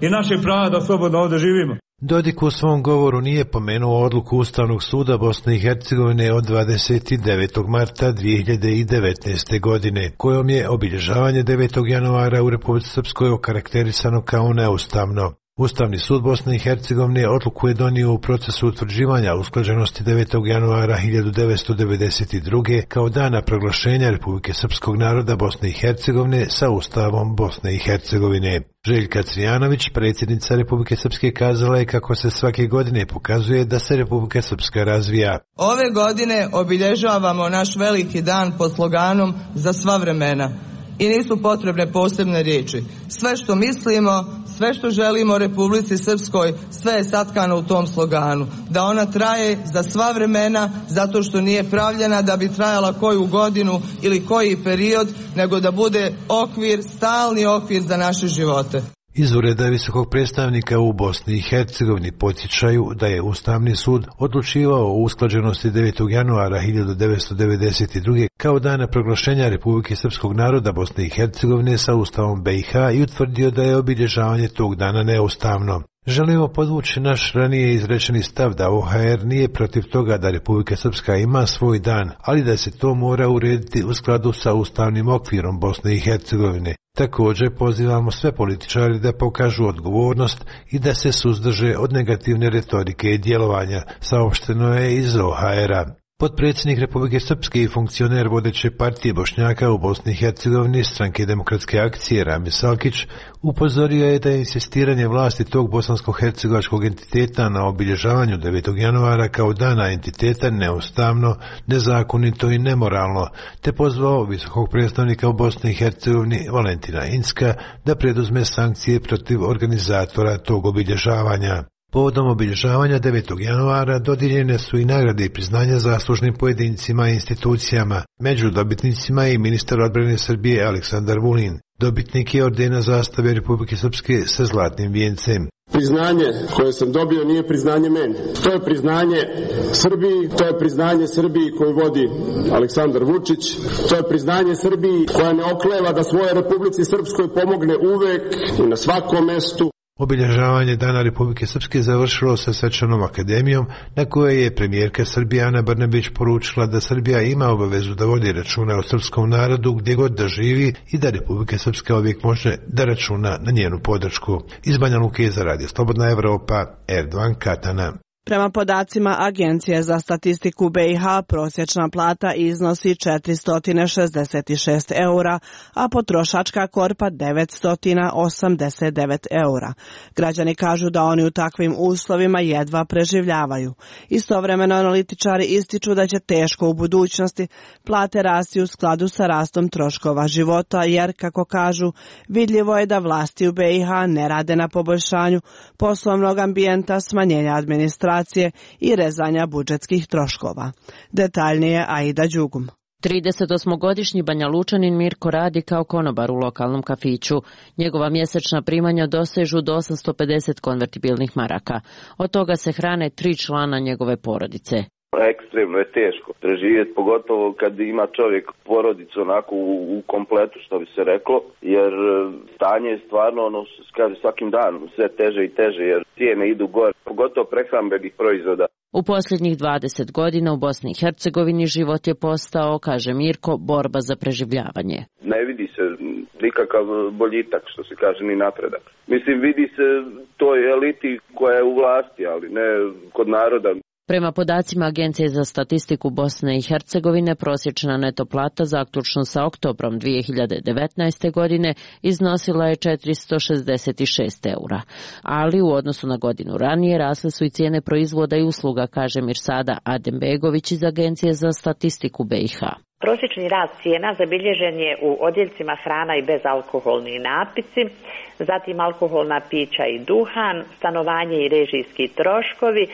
i naših prava da slobodno ovdje živimo. Dodik u svom govoru nije pomenuo odluku Ustavnog suda Bosne i Hercegovine od 29. marta 2019. godine, kojom je obilježavanje 9. januara u Republici Srpskoj okarakterisano kao neustavno. Ustavni sud Bosne i Hercegovine odluku je donio u procesu utvrđivanja usklađenosti 9. januara 1992. kao dana proglašenja Republike Srpskog naroda Bosne i Hercegovine sa Ustavom Bosne i Hercegovine. Željka Cvijanović, predsjednica Republike Srpske, kazala je kako se svake godine pokazuje da se Republika Srpska razvija. Ove godine obilježavamo naš veliki dan pod sloganom za sva vremena. I nisu potrebne posebne riječi. Sve što mislimo, sve što želimo Republici Srpskoj, sve je satkano u tom sloganu. Da ona traje za sva vremena, zato što nije pravljena da bi trajala koju godinu ili koji period, nego da bude okvir, stalni okvir za naše živote. Iz ureda visokog predstavnika u Bosni i Hercegovini podsjećaju da je Ustavni sud odlučivao o usklađenosti 9. januara 1992. kao dana proglašenja Republike Srpskog naroda Bosne i Hercegovine sa Ustavom BiH i utvrdio da je obilježavanje tog dana neustavno. Želimo podvući naš ranije izrečeni stav da OHR nije protiv toga da Republika Srpska ima svoj dan, ali da se to mora urediti u skladu sa ustavnim okvirom Bosne i Hercegovine. Također pozivamo sve političari da pokažu odgovornost i da se suzdrže od negativne retorike i djelovanja, saopšteno je iz OHR-a. Potpredsjednik Republike Srpske i funkcioner vodeće partije Bošnjaka u Bosni i Hercegovini Stranke demokratske akcije Rami Salkić upozorio je da je insistiranje vlasti tog bosansko-hercegovačkog entiteta na obilježavanju 9. januara kao dana entiteta neustavno, nezakonito i nemoralno, te pozvao visokog predstavnika u Bosni i Hercegovini Valentina Incka da preduzme sankcije protiv organizatora tog obilježavanja. Povodom obilježavanja 9. januara dodijeljene su i nagrade i priznanja zaslužnim pojedincima i institucijama. Među dobitnicima je i ministar odbrane Srbije Aleksandar Vulin. Dobitnik je ordena zastave Republike Srpske sa zlatnim vijencem. Priznanje koje sam dobio nije priznanje meni. To je priznanje Srbiji, to je priznanje Srbiji koju vodi Aleksandar Vučić, to je priznanje Srbiji koja ne okleva da svojoj Republici Srpskoj pomogne uvek i na svakom mestu. Obilježavanje Dana Republike Srpske završilo sa svečanom akademijom na kojoj je premijerka Srbije Ana Brnabić poručila da Srbija ima obavezu da vodi računa o srpskom narodu gdje god da živi i da Republika Srpska uvijek može da računa na njenu podršku. Iz Banja Luke za Radio Slobodna Evropa, Erdogan Katana. Prema podacima Agencije za statistiku BiH, prosječna plata iznosi 466 eura, a potrošačka korpa 989 eura. Građani kažu da oni u takvim uslovima jedva preživljavaju. Istovremeno analitičari ističu da će teško u budućnosti plate rasti u skladu sa rastom troškova života, jer, kako kažu, vidljivo je da vlasti u BiH ne rade na poboljšanju poslovnog ambijenta, smanjenja administracije i rezanja budžetskih troškova. Detaljnije Aida Đugum. 38-godišnji Banja Lučanin Mirko radi kao konobar u lokalnom kafiću. Njegova mjesečna primanja dosežu do 850 konvertibilnih maraka. Od toga se hrane 3 člana njegove porodice. Ekstremno je teško preživjeti, pogotovo kad ima čovjek porodicu onako u kompletu, što bi se reklo, jer stanje je stvarno, kaže, svakim danom sve teže i teže, jer cijene idu gore, pogotovo prehrambenih proizvoda. U posljednjih 20 godina u Bosni i Hercegovini život je postao, kaže Mirko, borba za preživljavanje. Ne vidi se nikakav boljitak, što se kaže, ni napredak. Mislim, vidi se toj eliti koja je u vlasti, ali ne kod naroda. Prema podacima Agencije za statistiku Bosne i Hercegovine, prosječna neto plata zaključno sa oktobrom 2019. godine iznosila je 466 eura. Ali u odnosu na godinu ranije rasle su i cijene proizvoda i usluga, kaže Mirsada Adembegović iz Agencije za statistiku BiH. Prosječni rast cijena zabilježen je u odjeljcima hrana i bezalkoholni napici, zatim alkoholna pića i duhan, stanovanje i režijski troškovi,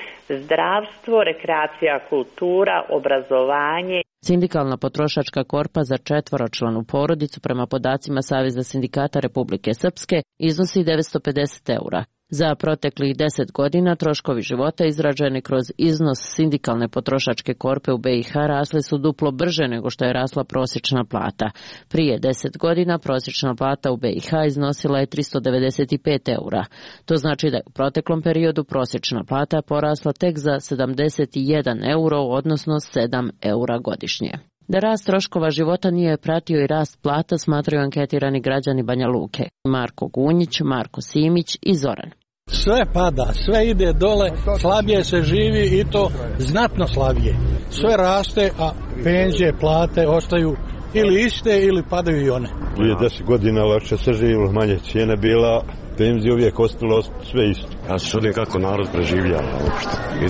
zdravstvo, rekreacija, kultura, obrazovanje. Sindikalna potrošačka korpa za 4-članu porodicu prema podacima Saveza sindikata Republike Srpske iznosi 950 eura. Za proteklih 10 godina troškovi života izraženi kroz iznos sindikalne potrošačke korpe u BiH rasli su duplo brže nego što je rasla prosječna plata. Prije 10 godina prosječna plata u BiH iznosila je 395 eura. To znači da je u proteklom periodu prosječna plata porasla tek za 71 euro, odnosno 7 eura godišnje. Da rast troškova života nije pratio i rast plata, smatraju anketirani građani Banja Luke. Marko Gunjić, Marko Simić i Zoran. Sve pada, sve ide dole, slabije se živi i to znatno slabije. Sve raste, a penzije, plate ostaju ili iste ili padaju i one. Prije 10 godina lakše se živilo, manje cijene bila, penzije uvijek ostalo sve isto. Ja se čudim kako narod preživljava uopšte i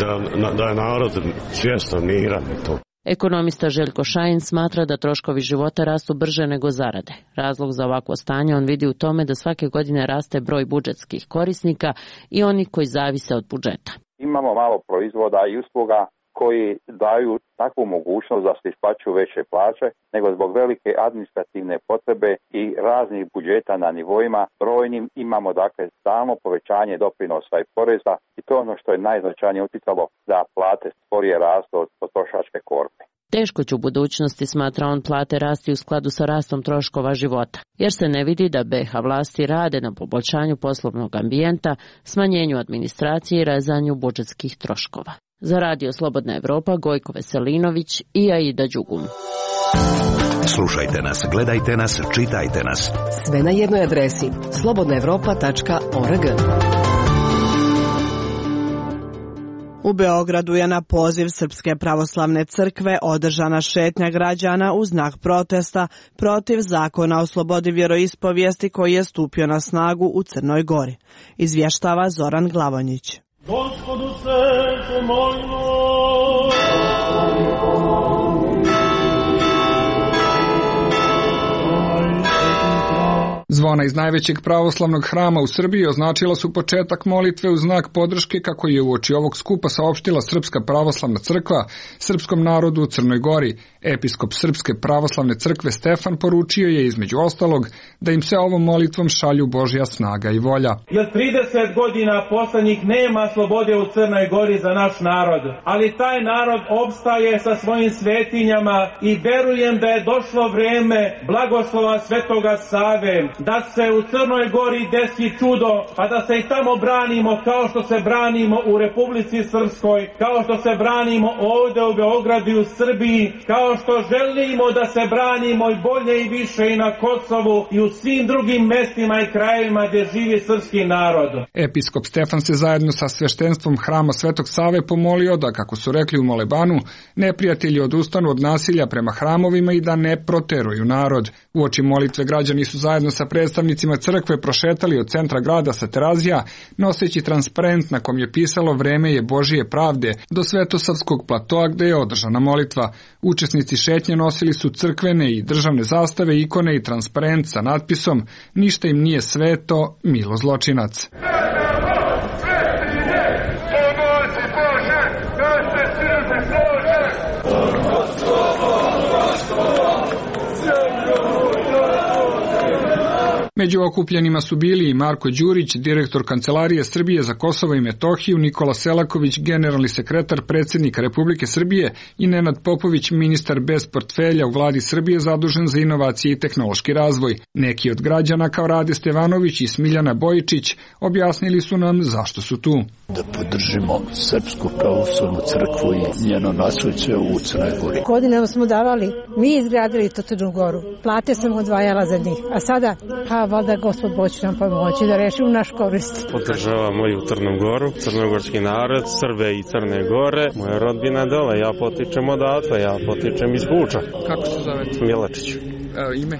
da je narod svjestan, miran i to. Ekonomista Željko Šajin smatra da troškovi života rastu brže nego zarade. Razlog za ovakvo stanje on vidi u tome da svake godine raste broj budžetskih korisnika i onih koji zavise od budžeta. Imamo malo proizvoda i usluga koji daju takvu mogućnost da se isplaćuju veće plaće, nego zbog velike administrativne potrebe i raznih budžeta na nivoima brojnim imamo dakle stalno povećanje doprinosa i poreza i to je ono što je najznačajnije utjecalo da plate sporije rastu od potrošačke korpe. Teško će u budućnosti, smatra on, plate rasti u skladu sa rastom troškova života, jer se ne vidi da BiH vlasti rade na poboljšanju poslovnog ambijenta, smanjenju administracije i rezanju budžetskih troškova. Za Radio Slobodna Evropa, Gojko Veselinović i Aida Đugum. Slušajte nas, gledajte nas, čitajte nas. Sve na jednoj adresi slobodnaevropa.org. U Beogradu je na poziv Srpske pravoslavne crkve održana šetnja građana u znak protesta protiv zakona o slobodi vjeroispovijesti koji je stupio na snagu u Crnoj Gori. Izvještava Zoran Glavonjić. Gospodu se pomolimo. Zvona iz najvećeg pravoslavnog hrama u Srbiji označila su početak molitve u znak podrške kako je uoči ovog skupa saopštila Srpska pravoslavna crkva srpskom narodu u Crnoj Gori. Episkop Srpske pravoslavne crkve Stefan poručio je između ostalog da im se ovom molitvom šalju Božja snaga i volja. Jer 30 godina poslednjih nema slobode u Crnoj Gori za naš narod, ali taj narod opstaje sa svojim svetinjama i verujem da je došlo vreme blagoslova Svetoga Save, da se u Crnoj Gori desi čudo, pa da se i tamo branimo kao što se branimo u Republici Srpskoj, kao što se branimo ovde u Beogradu i u Srbiji, kao što želimo da se branimo i bolje i više i na Kosovu i u svim drugim mestima i krajevima gdje živi srpski narod. Episkop Stefan se zajedno sa sveštenstvom hrama Svetog Save pomolio da, kako su rekli u molebanu, neprijatelji odustanu od nasilja prema hramovima i da ne proteruju narod. Uoči molitve građani su zajedno sa predstavnicima crkve prošetali od centra grada sa Terazija, noseći transparent na kom je pisalo "Vreme je Božije pravde" do Svetosavskog platoa gde je održana molitva. Učesnici šetnje nosili su crkvene i državne zastave, ikone i transparent sa natpisom "Ništa im nije sveto, milo zločinac". Među okupljenima su bili i Marko Đurić, direktor Kancelarije Srbije za Kosovo i Metohiju, Nikola Selaković, generalni sekretar predsjednika Republike Srbije i Nenad Popović, ministar bez portfelja u vladi Srbije zadužen za inovacije i tehnološki razvoj. Neki od građana kao Rade Stevanović i Smiljana Bojičić objasnili su nam zašto su tu. Da podržimo Srpsku pravoslavnu crkvu i njeno nasleđe u Crnoj Gori. Godinama smo davali, mi izgradili to Crnu Goru, plate sam odvajala za njih, a sada, valjda Gospod Bog će nam pomoći da rešimo naš korist. Podržavam moju Crnu Goru, crnogorski narod, Srbe i Crne Gore, moja rodbina dole, ja potičem odatle, ja potičem iz Buča. Kako se zovete? Milačić. Ime?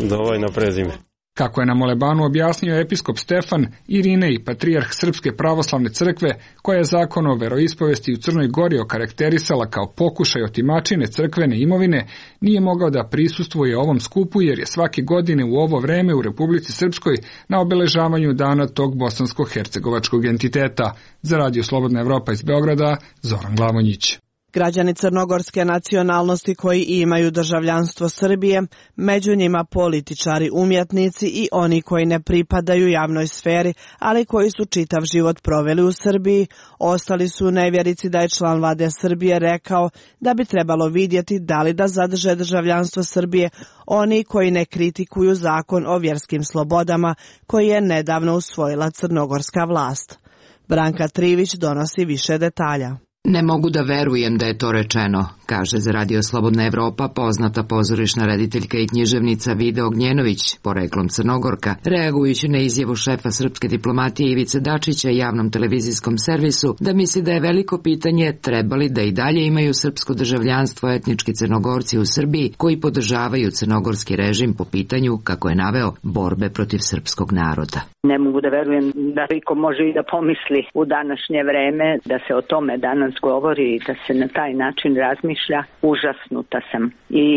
Dovoljno prezime. Kako je na molebanu objasnio episkop Stefan, Irine i patrijarh Srpske pravoslavne crkve, koja je zakon o veroispovesti u Crnoj Gori okarakterisala kao pokušaj otimačine crkvene imovine, nije mogao da prisustvuje ovom skupu jer je svake godine u ovo vreme u Republici Srpskoj na obeležavanju dana tog bosansko-hercegovačkog entiteta. Za Radio Slobodna Evropa iz Beograda, Zoran Glavonjić. Građani crnogorske nacionalnosti koji imaju državljanstvo Srbije, među njima političari, umjetnici i oni koji ne pripadaju javnoj sferi, ali koji su čitav život proveli u Srbiji, ostali su u nevjerici da je član vlade Srbije rekao da bi trebalo vidjeti da li da zadrže državljanstvo Srbije oni koji ne kritikuju zakon o vjerskim slobodama koji je nedavno usvojila crnogorska vlast. Branka Trivić donosi više detalja. Ne mogu da verujem da je to rečeno, kaže za Radio Slobodna Evropa poznata pozorišna rediteljka i književnica Vida Ognjenović, poreklom Crnogorka, reagujući na izjavu šefa srpske diplomatije Ivice Dačića javnom televizijskom servisu da misli da je veliko pitanje trebali da i dalje imaju srpsko državljanstvo etnički Crnogorci u Srbiji koji podržavaju crnogorski režim po pitanju, kako je naveo, borbe protiv srpskog naroda. Ne mogu da verujem da iko može i da pomisli u današnje vreme da se o tome danas govori i da se na taj način razmišlja. Užasnuta sam i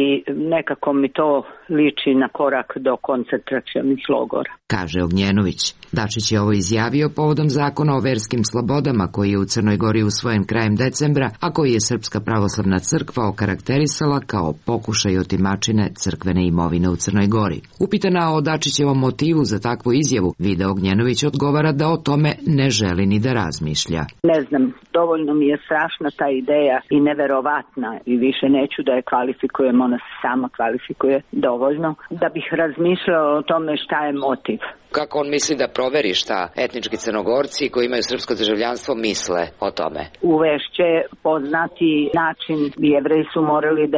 nekako mi to liči na korak do koncentracionih logora, kaže Ognjenović. Dačić je ovo izjavio povodom zakona o verskim slobodama koji je u Crnoj Gori usvojen krajem decembra, a koji je Srpska pravoslavna crkva okarakterisala kao pokušaj otimačine crkvene imovine u Crnoj Gori. Upitana o Dačićevom motivu za takvu izjavu, Vida Ognjenović odgovara da o tome ne želi ni da razmišlja. Ne znam, dovoljno mi je strašna ta ideja i neverovatna ona i više neću da je kvalifikujem, ona se sama kvalifikuje dovoljno, da bih razmišljala o tome šta je motiv. Kako on misli da proveri šta etnički Crnogorci koji imaju srpsko državljanstvo misle o tome? Uvešće poznati način, Jevreji su morali 10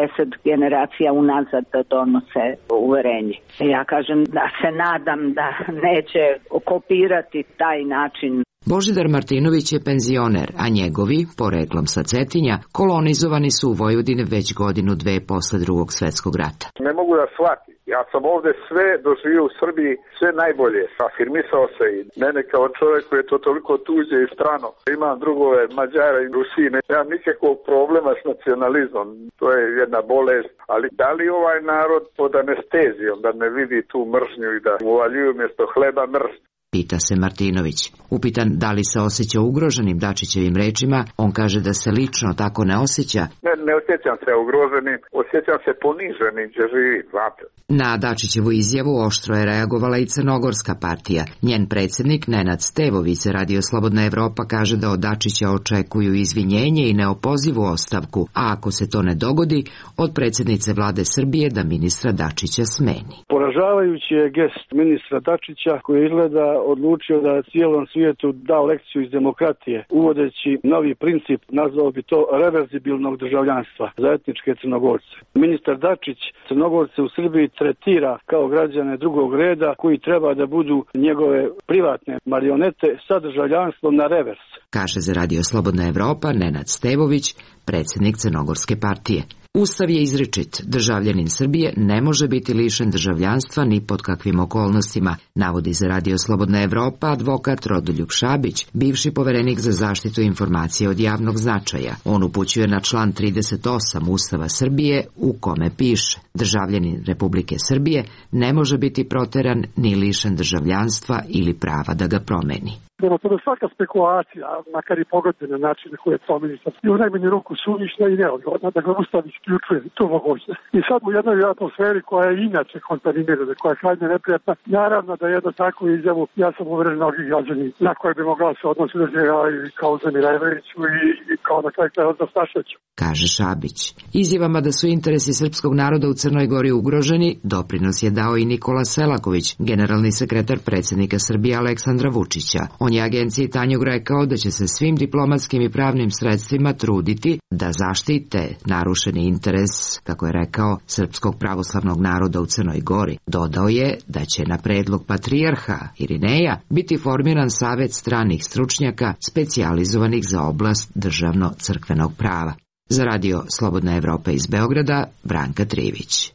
generacija unazad da donose uverenje. Ja kažem da se nadam da neće kopirati taj način. Božidar Martinović je penzioner, a njegovi, poreklom sa Cetinja, kolonizovani su u Vojvodini već godinu dve posle Drugog svjetskog rata. Ne mogu da shvatim. Ja sam ovde sve doživio u Srbiji, sve najbolje. Afirmisao se i mene kao čovjek koji je to toliko tuđe i strano. Imam drugove Mađara i Rusine. Nemam nikakvog problema s nacionalizmom. To je jedna bolest. Ali da li ovaj narod pod anestezijom da ne vidi tu mržnju i da mu uvaljuju mjesto hleba mrz? Pita se Martinović. Upitan da li se osjeća ugroženim Dačićevim rečima, on kaže da se lično tako ne osjeća. Ne osjećam se ugroženim, osjećam se poniženim gdje živi, znate. Na Dačićevu izjavu oštro je reagovala i Crnogorska partija. Njen predsjednik Nenad Stevović za Radio Slobodna Evropa kaže da od Dačića očekuju izvinjenje i neopozivu ostavku, a ako se to ne dogodi, od predsjednice vlade Srbije da ministra Dačića smeni. Poražavajući je gest ministra Dačića koji izgleda odlučio da cijelom svijetu dao lekciju iz demokratije, uvodeći novi princip, nazvao bi to reverzibilnog državljanstva za etničke Crnogorce. Ministar Dačić Crnogorce u Srbiji tretira kao građane drugog reda koji treba da budu njegove privatne marionete sa državljanstvom na revers. Kaže za Radio Slobodna Evropa Nenad Stevović, predsjednik Crnogorske partije. Ustav je izričit, državljanin Srbije ne može biti lišen državljanstva ni pod kakvim okolnostima, navodi za Radio Slobodna Evropa advokat Rodoljub Šabić, bivši poverenik za zaštitu informacije od javnog značaja. On upućuje na član 38 Ustava Srbije u kome piše: državljanin Republike Srbije ne može biti proteran ni lišen državljanstva ili prava da ga promeni. Prema tome svaka spekulacija, makar i pogodne na način na koje je to ministar, je u najmanju ruku suvišna i neodgovorna, da ga Ustav isključuje tu mogućnost. I sad u jednoj atmosferi koja je inače kontaminirana, koja je krajnje neprijatna, naravno da jedno takvu izjavu, ja sam uveren mnogih građani na koje bi mogla se odnositi i kao Zemirajeviću i kao na kraju kraja da Stašeću. Kaže Šabić. Izjavama da su interesi srpskog naroda u Crnoj Gori ugroženi, doprinos je dao i Nikola Selaković, generalni sekretar predsjednika Srbije Aleksandra Vučića. On je agenciji Tanjug rekao da će se svim diplomatskim i pravnim sredstvima truditi da zaštite narušeni interes, kako je rekao, srpskog pravoslavnog naroda u Crnoj Gori. Dodao je da će na predlog patrijarha Irineja biti formiran savet stranih stručnjaka specijalizovanih za oblast državno-crkvenog prava. Za Radio Slobodna Evropa iz Beograda, Branka Trivić.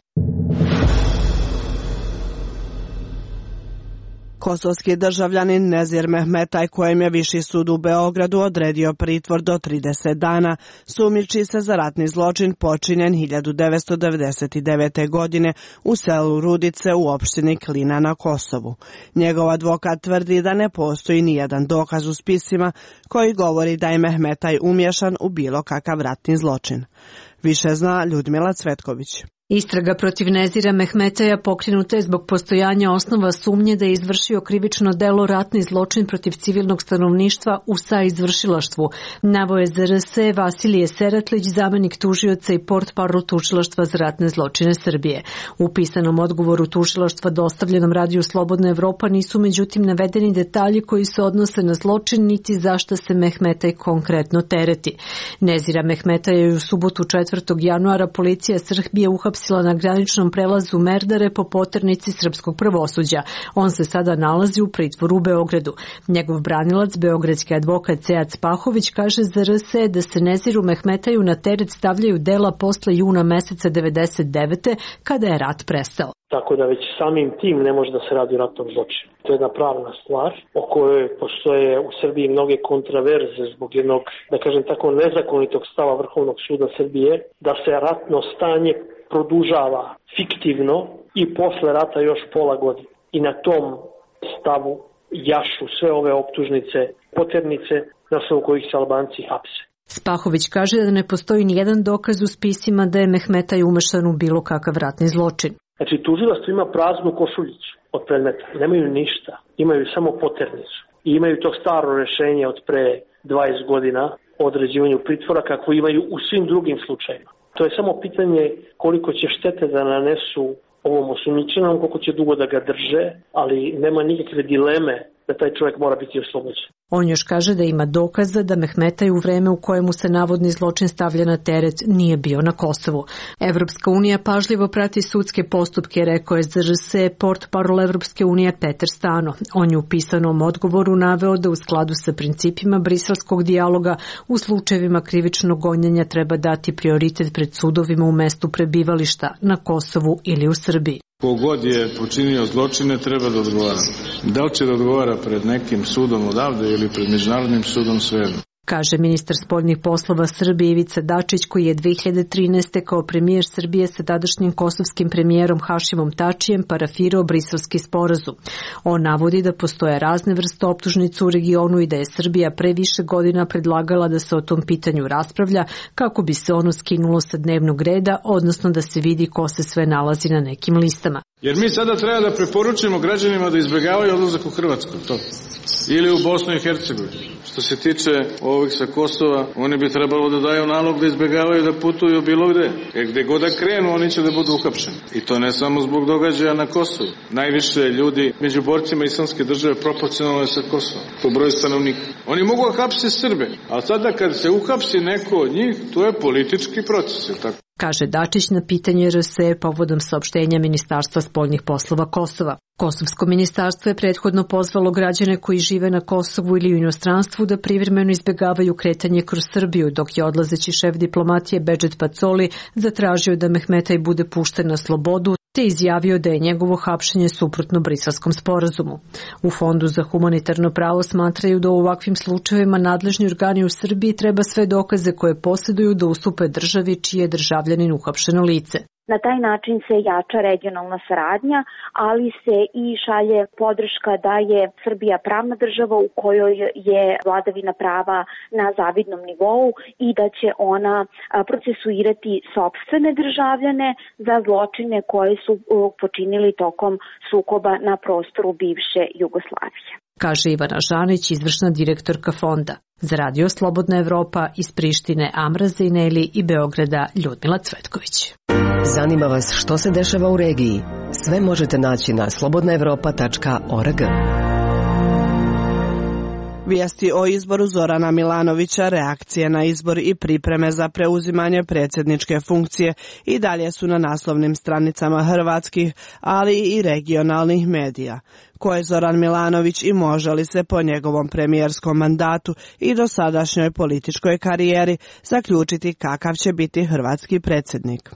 Kosovski državljanin Nezir Mehmetaj, kojem je Viši sud u Beogradu odredio pritvor do 30 dana, sumnjiči se za ratni zločin počinjen 1999. godine u selu Rudice u opštini Klina na Kosovu. Njegov advokat tvrdi da ne postoji nijedan dokaz u spisima koji govori da je Mehmetaj umješan u bilo kakav ratni zločin. Više zna Ljudmila Cvetković. Istraga protiv Nezira Mehmetaja pokrenuta je zbog postojanja osnova sumnje da je izvršio krivično delo ratni zločin protiv civilnog stanovništva u saizvršilaštvu. Naveo je ZRS Vasilije Seratlić, zamenik tužioca i portparol tužilaštva za ratne zločine Srbije. U pisanom odgovoru tužilaštva dostavljenom Radiju Slobodna Evropa nisu međutim navedeni detalji koji se odnose na zločin niti zašta se Mehmetaj konkretno tereti. Nezira Mehmetaja je u subotu 4. januara policija Srbije uhapsila na graničnom prelazu Merdare po poternici srpskog pravosuđa. On se sada nalazi u pritvoru u Beogradu. Njegov branilac, beogradski advokat Sead Spahović, kaže za RS da se Neziru Mehmetaju na teret stavljaju dela posle juna meseca 1999. kada je rat prestao. Tako da već samim tim ne može da se radi o ratnom zločinu. To je jedna pravna stvar o kojoj postoje u Srbiji mnoge kontraverze zbog jednog, da kažem tako, nezakonitog stava Vrhovnog suda Srbije da se ratno stanje produžava fiktivno i posle rata još pola godine. I na tom stavu jašu sve ove optužnice, poternice na osnovu kojih se Albanci hapse. Spahović kaže da ne postoji nijedan dokaz u spisima da je Mehmetaj umešan u bilo kakav ratni zločin. Znači, tužilaštvo ima praznu košuljicu od predmeta. Nemaju ništa. Imaju samo poternicu. I imaju to staro rešenje od pre 20 godina o određivanju pritvora kako imaju u svim drugim slučajima. To je samo pitanje koliko će štete da nanesu ovom osumnjičenom, koliko će dugo da ga drže, ali nema nikakve dileme da taj čovjek mora biti oslobođen. On još kaže da ima dokaza da Mehmetaj u vreme u kojemu se navodni zločin stavlja na teret nije bio na Kosovu. Evropska unija pažljivo prati sudske postupke, rekao je ZRS portparol Evropske unije Peter Stano. On je u pisanom odgovoru naveo da u skladu sa principima briselskog dijaloga u slučajevima krivičnog gonjenja treba dati prioritet pred sudovima u mestu prebivališta na Kosovu ili u Srbiji. Kogod je počinio zločine treba da odgovara. Da li će da odgovara pred nekim sudom odavde ili pred međunarodnim sudom, svejedno. Kaže ministar spoljnih poslova Srbije Ivica Dačić, koji je 2013. kao premijer Srbije sa tadašnjim kosovskim premijerom Hašimom Tačijem parafirao briselski sporazum. On navodi da postoje razne vrste optužnica u regionu i da je Srbija pre više godina predlagala da se o tom pitanju raspravlja kako bi se ono skinulo sa dnevnog reda, odnosno da se vidi ko se sve nalazi na nekim listama. Jer mi sada treba da preporučimo građanima da izbjegavaju odlazak u Hrvatsku, to. Ili u Bosnu i Hercegovinu. Što se tiče ovih sa Kosova, oni bi trebalo da daju nalog da izbjegavaju da putuju bilo gde. Jer gde god da krenu, oni će da budu uhapšeni. I to ne samo zbog događaja na Kosovu. Najviše ljudi među borcima Islamske države proporcionalno je sa Kosova, po broju stanovnika. Oni mogu hapsiti Srbe, ali sada kad se uhapsi neko od njih, to je politički proces, je tako? Kaže Dačić na pitanje RS povodom saopštenja Ministarstva spoljnih poslova Kosova. Kosovsko ministarstvo je prethodno pozvalo građane koji žive na Kosovu ili u inostranstvu da privremeno izbjegavaju kretanje kroz Srbiju, dok je odlazeći šef diplomatije Bedžet Pacoli zatražio da Mehmetaj bude pušten na slobodu, te izjavio da je njegovo hapšenje suprotno Briselskom sporazumu. U Fondu za humanitarno pravo smatraju da u ovakvim slučajevima nadležni organi u Srbiji treba sve dokaze koje posjeduju da ustupe državi čiji je državljanin uhapšeno lice. Na taj način se jača regionalna saradnja, ali se i šalje podrška da je Srbija pravna država u kojoj je vladavina prava na zavidnom nivou i da će ona procesuirati sopstvene državljane za zločine koje su počinili tokom sukoba na prostoru bivše Jugoslavije. Kaže Ivana Žanić, izvršna direktorka fonda. Za Radio Slobodna Evropa iz Prištine Amra Zejneli i Beograda Ljudmila Cvetković. Zanima vas što se dešava u regiji? Sve možete naći na slobodnaevropa.org. Vijesti o izboru Zorana Milanovića, reakcije na izbor i pripreme za preuzimanje predsjedničke funkcije i dalje su na naslovnim stranicama hrvatskih, ali i regionalnih medija. Ko je Zoran Milanović i može li se po njegovom premijerskom mandatu i dosadašnjoj političkoj karijeri zaključiti kakav će biti hrvatski predsjednik?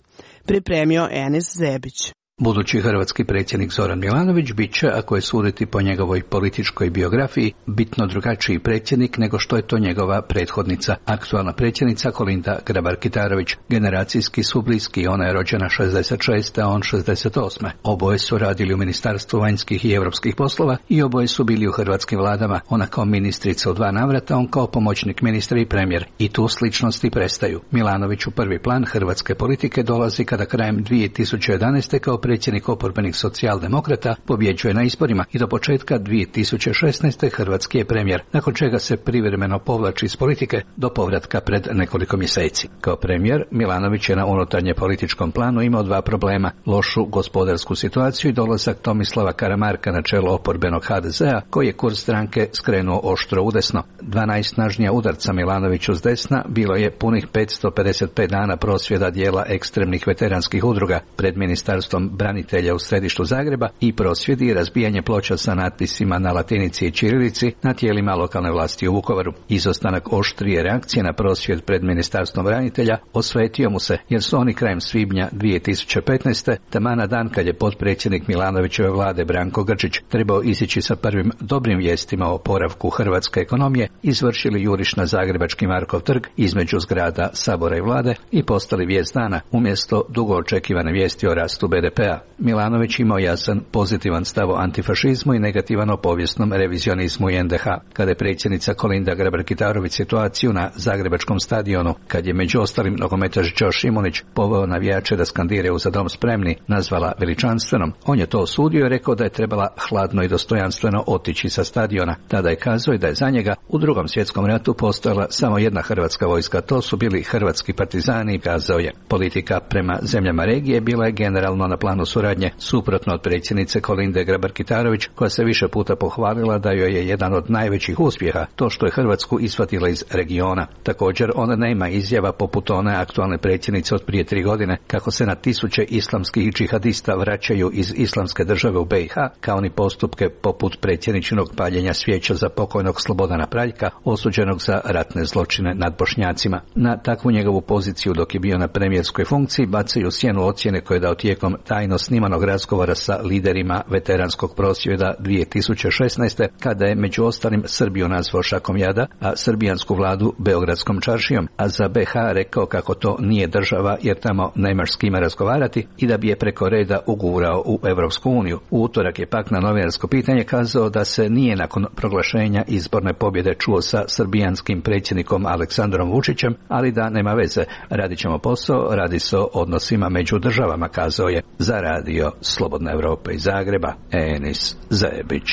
Pripremio Enis Zebić. Budući hrvatski predsjednik Zoran Milanović bit će, ako je suditi po njegovoj političkoj biografiji, bitno drugačiji predsjednik nego što je to njegova prethodnica, aktualna predsjednica Kolinda Grabar-Kitarović. Generacijski su bliski, ona je rođena 66. a on 68. Oboje su radili u Ministarstvu vanjskih i europskih poslova i oboje su bili u hrvatskim vladama, ona kao ministrica u 2 navrata, on kao pomoćnik ministra i premijer. I tu sličnosti prestaju. Milanović u prvi plan hrvatske politike dolazi kada krajem 2011. kao predsjednik oporbenih socijaldemokrata pobjeđuje na izborima i do početka 2016. hrvatski je premijer, nakon čega se privremeno povlači iz politike do povratka pred nekoliko mjeseci. Kao premijer, Milanović je na unutarnje političkom planu imao 2 problema, lošu gospodarsku situaciju i dolazak Tomislava Karamarka na čelo oporbenog HDZ-a, koji je kurs stranke skrenuo oštro udesno. 2 najsnažnija udarca Milanoviću s desna bilo je punih 555 dana prosvjeda dijela ekstremnih veteranskih udruga pred ministarstvom branitelja u središtu Zagreba i prosvjedi i razbijanje ploča sa natpisima na latinici i ćirilici na tijelima lokalne vlasti u Vukovaru. Izostanak oštrije reakcije na prosvjed pred ministarstvom branitelja osvetio mu se, jer su oni krajem svibnja 2015. taman na dan kad je potpredsjednik Milanovićeve vlade Branko Grčić trebao izići sa prvim dobrim vijestima o oporavku hrvatske ekonomije, izvršili juriš na zagrebački Markov trg između zgrada Sabora i vlade i postali vijest dana umjesto dugo očekivane vijesti o rastu BDP-a. NDH. Milanović imao jasan pozitivan stav o antifašizmu i negativan o povijesnom revizionizmu NDH. Kada je predsjednica Kolinda Grabar-Kitarović situaciju na Zagrebačkom stadionu, kad je među ostalim nogometaš Đo Šimunić poveo navijače da skandiraju Za dom spremni, nazvala veličanstvenom, on je to osudio i rekao da je trebala hladno i dostojanstveno otići sa stadiona. Tada je kazao da je za njega u Drugom svjetskom ratu postojala samo jedna hrvatska vojska, to su bili hrvatski partizani i kazao je. Politika prema zemljama regije bila je generalno na planu suradnje, suprotno od predsjednice Kolinde Grabar-Kitarović, koja se više puta pohvalila da joj je jedan od najvećih uspjeha to što je Hrvatsku isvatila iz regiona. Također ona nema izjava poput one aktualne predsjednice od prije 3 godine kako se na tisuće islamskih džihadista vraćaju iz islamske države u BiH, kao ni postupke poput predsjedničinog paljenja svijeća za pokojnog Slobodana Praljka, osuđenog za ratne zločine nad Bošnjacima. Na takvu njegovu poziciju dok je bio na premijerskoj funkciji bacaju sjenu ocjene koje je dao tijekom tajno snimanog razgovora sa liderima veteranskog prosvjeda 2016. kada je među ostalim Srbiju nazvao šakom jada, a srbijansku vladu beogradskom čaršijom, a za BiH rekao kako to nije država jer tamo nemaš s kime razgovarati i da bi je preko reda ugurao u Europsku uniju. U utorak je pak na novinarsko pitanje kazao da se nije nakon proglašenja izborne pobjede čuo sa srbijanskim predsjednikom Aleksandrom Vučićem, ali da nema veze, radit ćemo posao, radi se o odnosima među državama, kazao je za radio Slobodna Evropa iz Zagreba, Enis Zajebić.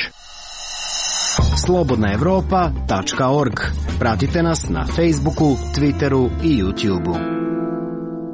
slobodnaevropa.org. Pratite nas na Facebooku, Twitteru i YouTubeu.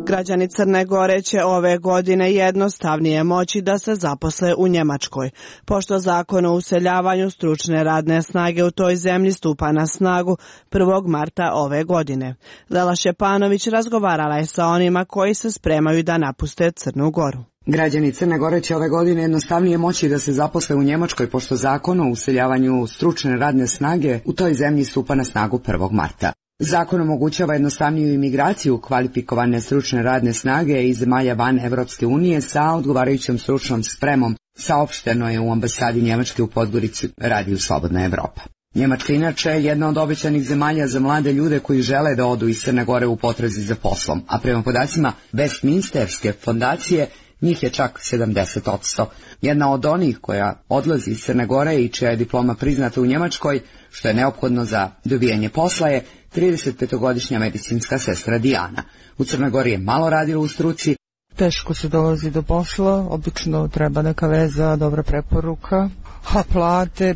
Građani Crne Gore će ove godine jednostavnije moći da se zaposle u Njemačkoj, pošto zakon o useljavanju stručne radne snage u toj zemlji stupa na snagu 1. marta ove godine. Lela Šepanović razgovarala je sa onima koji se spremaju da napuste Crnu Goru. Građani Crne Gore će ove godine jednostavnije moći da se zaposle u Njemačkoj, pošto zakon o useljavanju stručne radne snage u toj zemlji stupa na snagu 1. marta. Zakon omogućava jednostavniju imigraciju kvalifikovane stručne radne snage iz zemalja van Evropske unije sa odgovarajućom stručnom spremom, saopšteno je u ambasadi Njemačke u Podgorici, radiju Slobodna Evropa. Njemačka inače je jedna od obećanih zemalja za mlade ljude koji žele da odu iz Crne Gore u potrazi za poslom, a prema podacima Westminsterske fondacije njih je čak 70%. Jedna od onih koja odlazi iz Crne Gore i čija je diploma priznata u Njemačkoj, što je neophodno za dobijanje posla, je 35-godišnja medicinska sestra Dijana. U Crnoj Gori je malo radila u struci. Teško se dolazi do posla, obično treba neka veza, dobra preporuka, a plate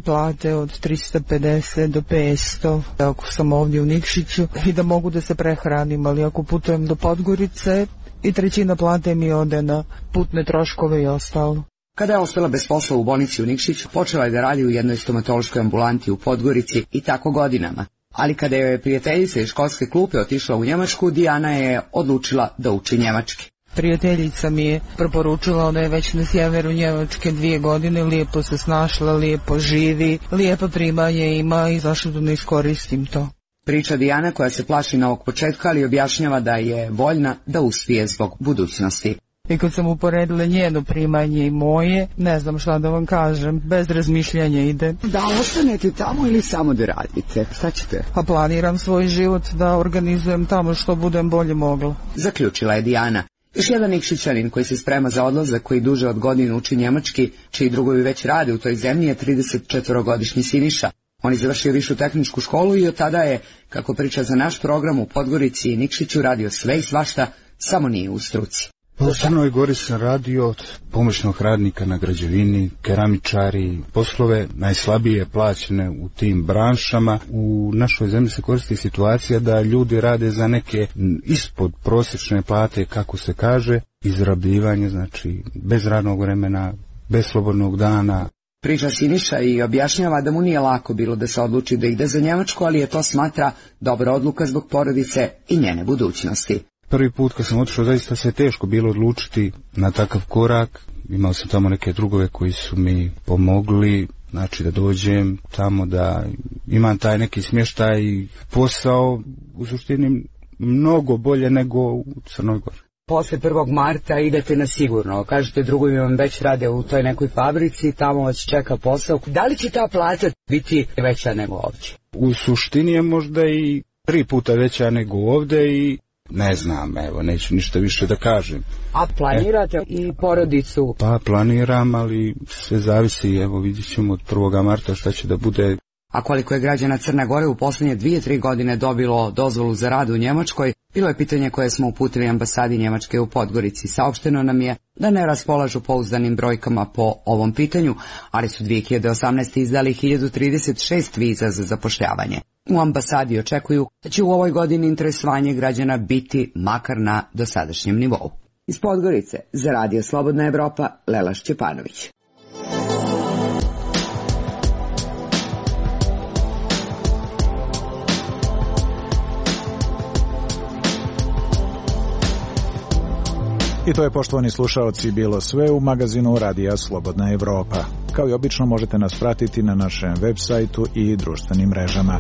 od 350 do 500, ako sam ovdje u Nikšiću, i da mogu da se prehranim, ali ako putujem do Podgorice, i 1/3 plate mi ode na putne troškove i ostalo. Kada je ostala bez posla u bolnici u Nikšiću, počela je da radi u jednoj stomatološkoj ambulanti u Podgorici i tako godinama. Ali kada je prijateljica iz školske klupe otišla u Njemačku, Dijana je odlučila da uči njemački. Prijateljica mi je preporučila, ona je već na sjeveru Njemačke 2 godine, lijepo se snašla, lijepo živi, lijepo primanje ima i zašto da ne iskoristim to. Priča Dijana koja se plaši novog početka, ali objašnjava da je voljna da uspije zbog budućnosti. I kad sam uporedila njeno primanje i moje, ne znam šta da vam kažem, bez razmišljanja ide. Da ostanete tamo ili samo da radite? Šta ćete? Pa planiram svoj život da organizujem tamo što budem bolje mogla. Zaključila je Dijana. Još jedan Nikšićanin koji se sprema za odlazak, koji duže od godinu uči njemački, čiji drugovi već rade u toj zemlji, je 34-godišnji Siniša. On je završio višu tehničku školu i od tada je, kako priča za naš program, u Podgorici i Nikšiću radio sve i svašta, samo nije u struci. U Crnoj Gori sam radio od pomoćnog radnika na građevini, keramičari, poslove najslabije plaćene u tim branšama. U našoj zemlji se koristi situacija da ljudi rade za neke ispod prosječne plate, kako se kaže, izrabljivanje, znači bez radnog vremena, bez slobodnog dana. Priča Siniša i objašnjava da mu nije lako bilo da se odluči da ide za Njemačku, ali je to smatra dobra odluka zbog porodice i njene budućnosti. Prvi put kad sam otišao, zaista se teško bilo odlučiti na takav korak. Imao sam tamo neke drugove koji su mi pomogli, znači da dođem tamo, da imam taj neki smještaj i posao, u suštini mnogo bolje nego u Crnoj Gori. Posle 1. marta idete na sigurno, kažete drugovi vam već rade u toj nekoj fabrici, tamo vas čeka posao. Da li će ta plata biti veća nego ovdje? U suštini je možda i 3 puta veća nego ovdje i Ne znam, evo, neću ništa više da kažem. A planirate i porodicu? Pa planiram, ali sve zavisi, evo vidjet ćemo od 1. marta šta će da bude. A koliko je građana Crne Gore u posljednje 2-3 godine dobilo dozvolu za rad u Njemačkoj, bilo je pitanje koje smo uputili ambasadi Njemačke u Podgorici. Saopšteno nam je da ne raspolažu pouzdanim brojkama po ovom pitanju, ali su 2018. izdali 1036 viza za zapošljavanje. U ambasadi očekuju da će u ovoj godini interesovanje građana biti makar na dosadašnjem nivou. Iz Podgorice, za Radio Slobodna Evropa, Lela Šćepanović. I to je, poštovani slušaoci, bilo sve u magazinu Radija Slobodna Evropa. Kao i obično možete nas pratiti na našem web sajtu i društvenim mrežama.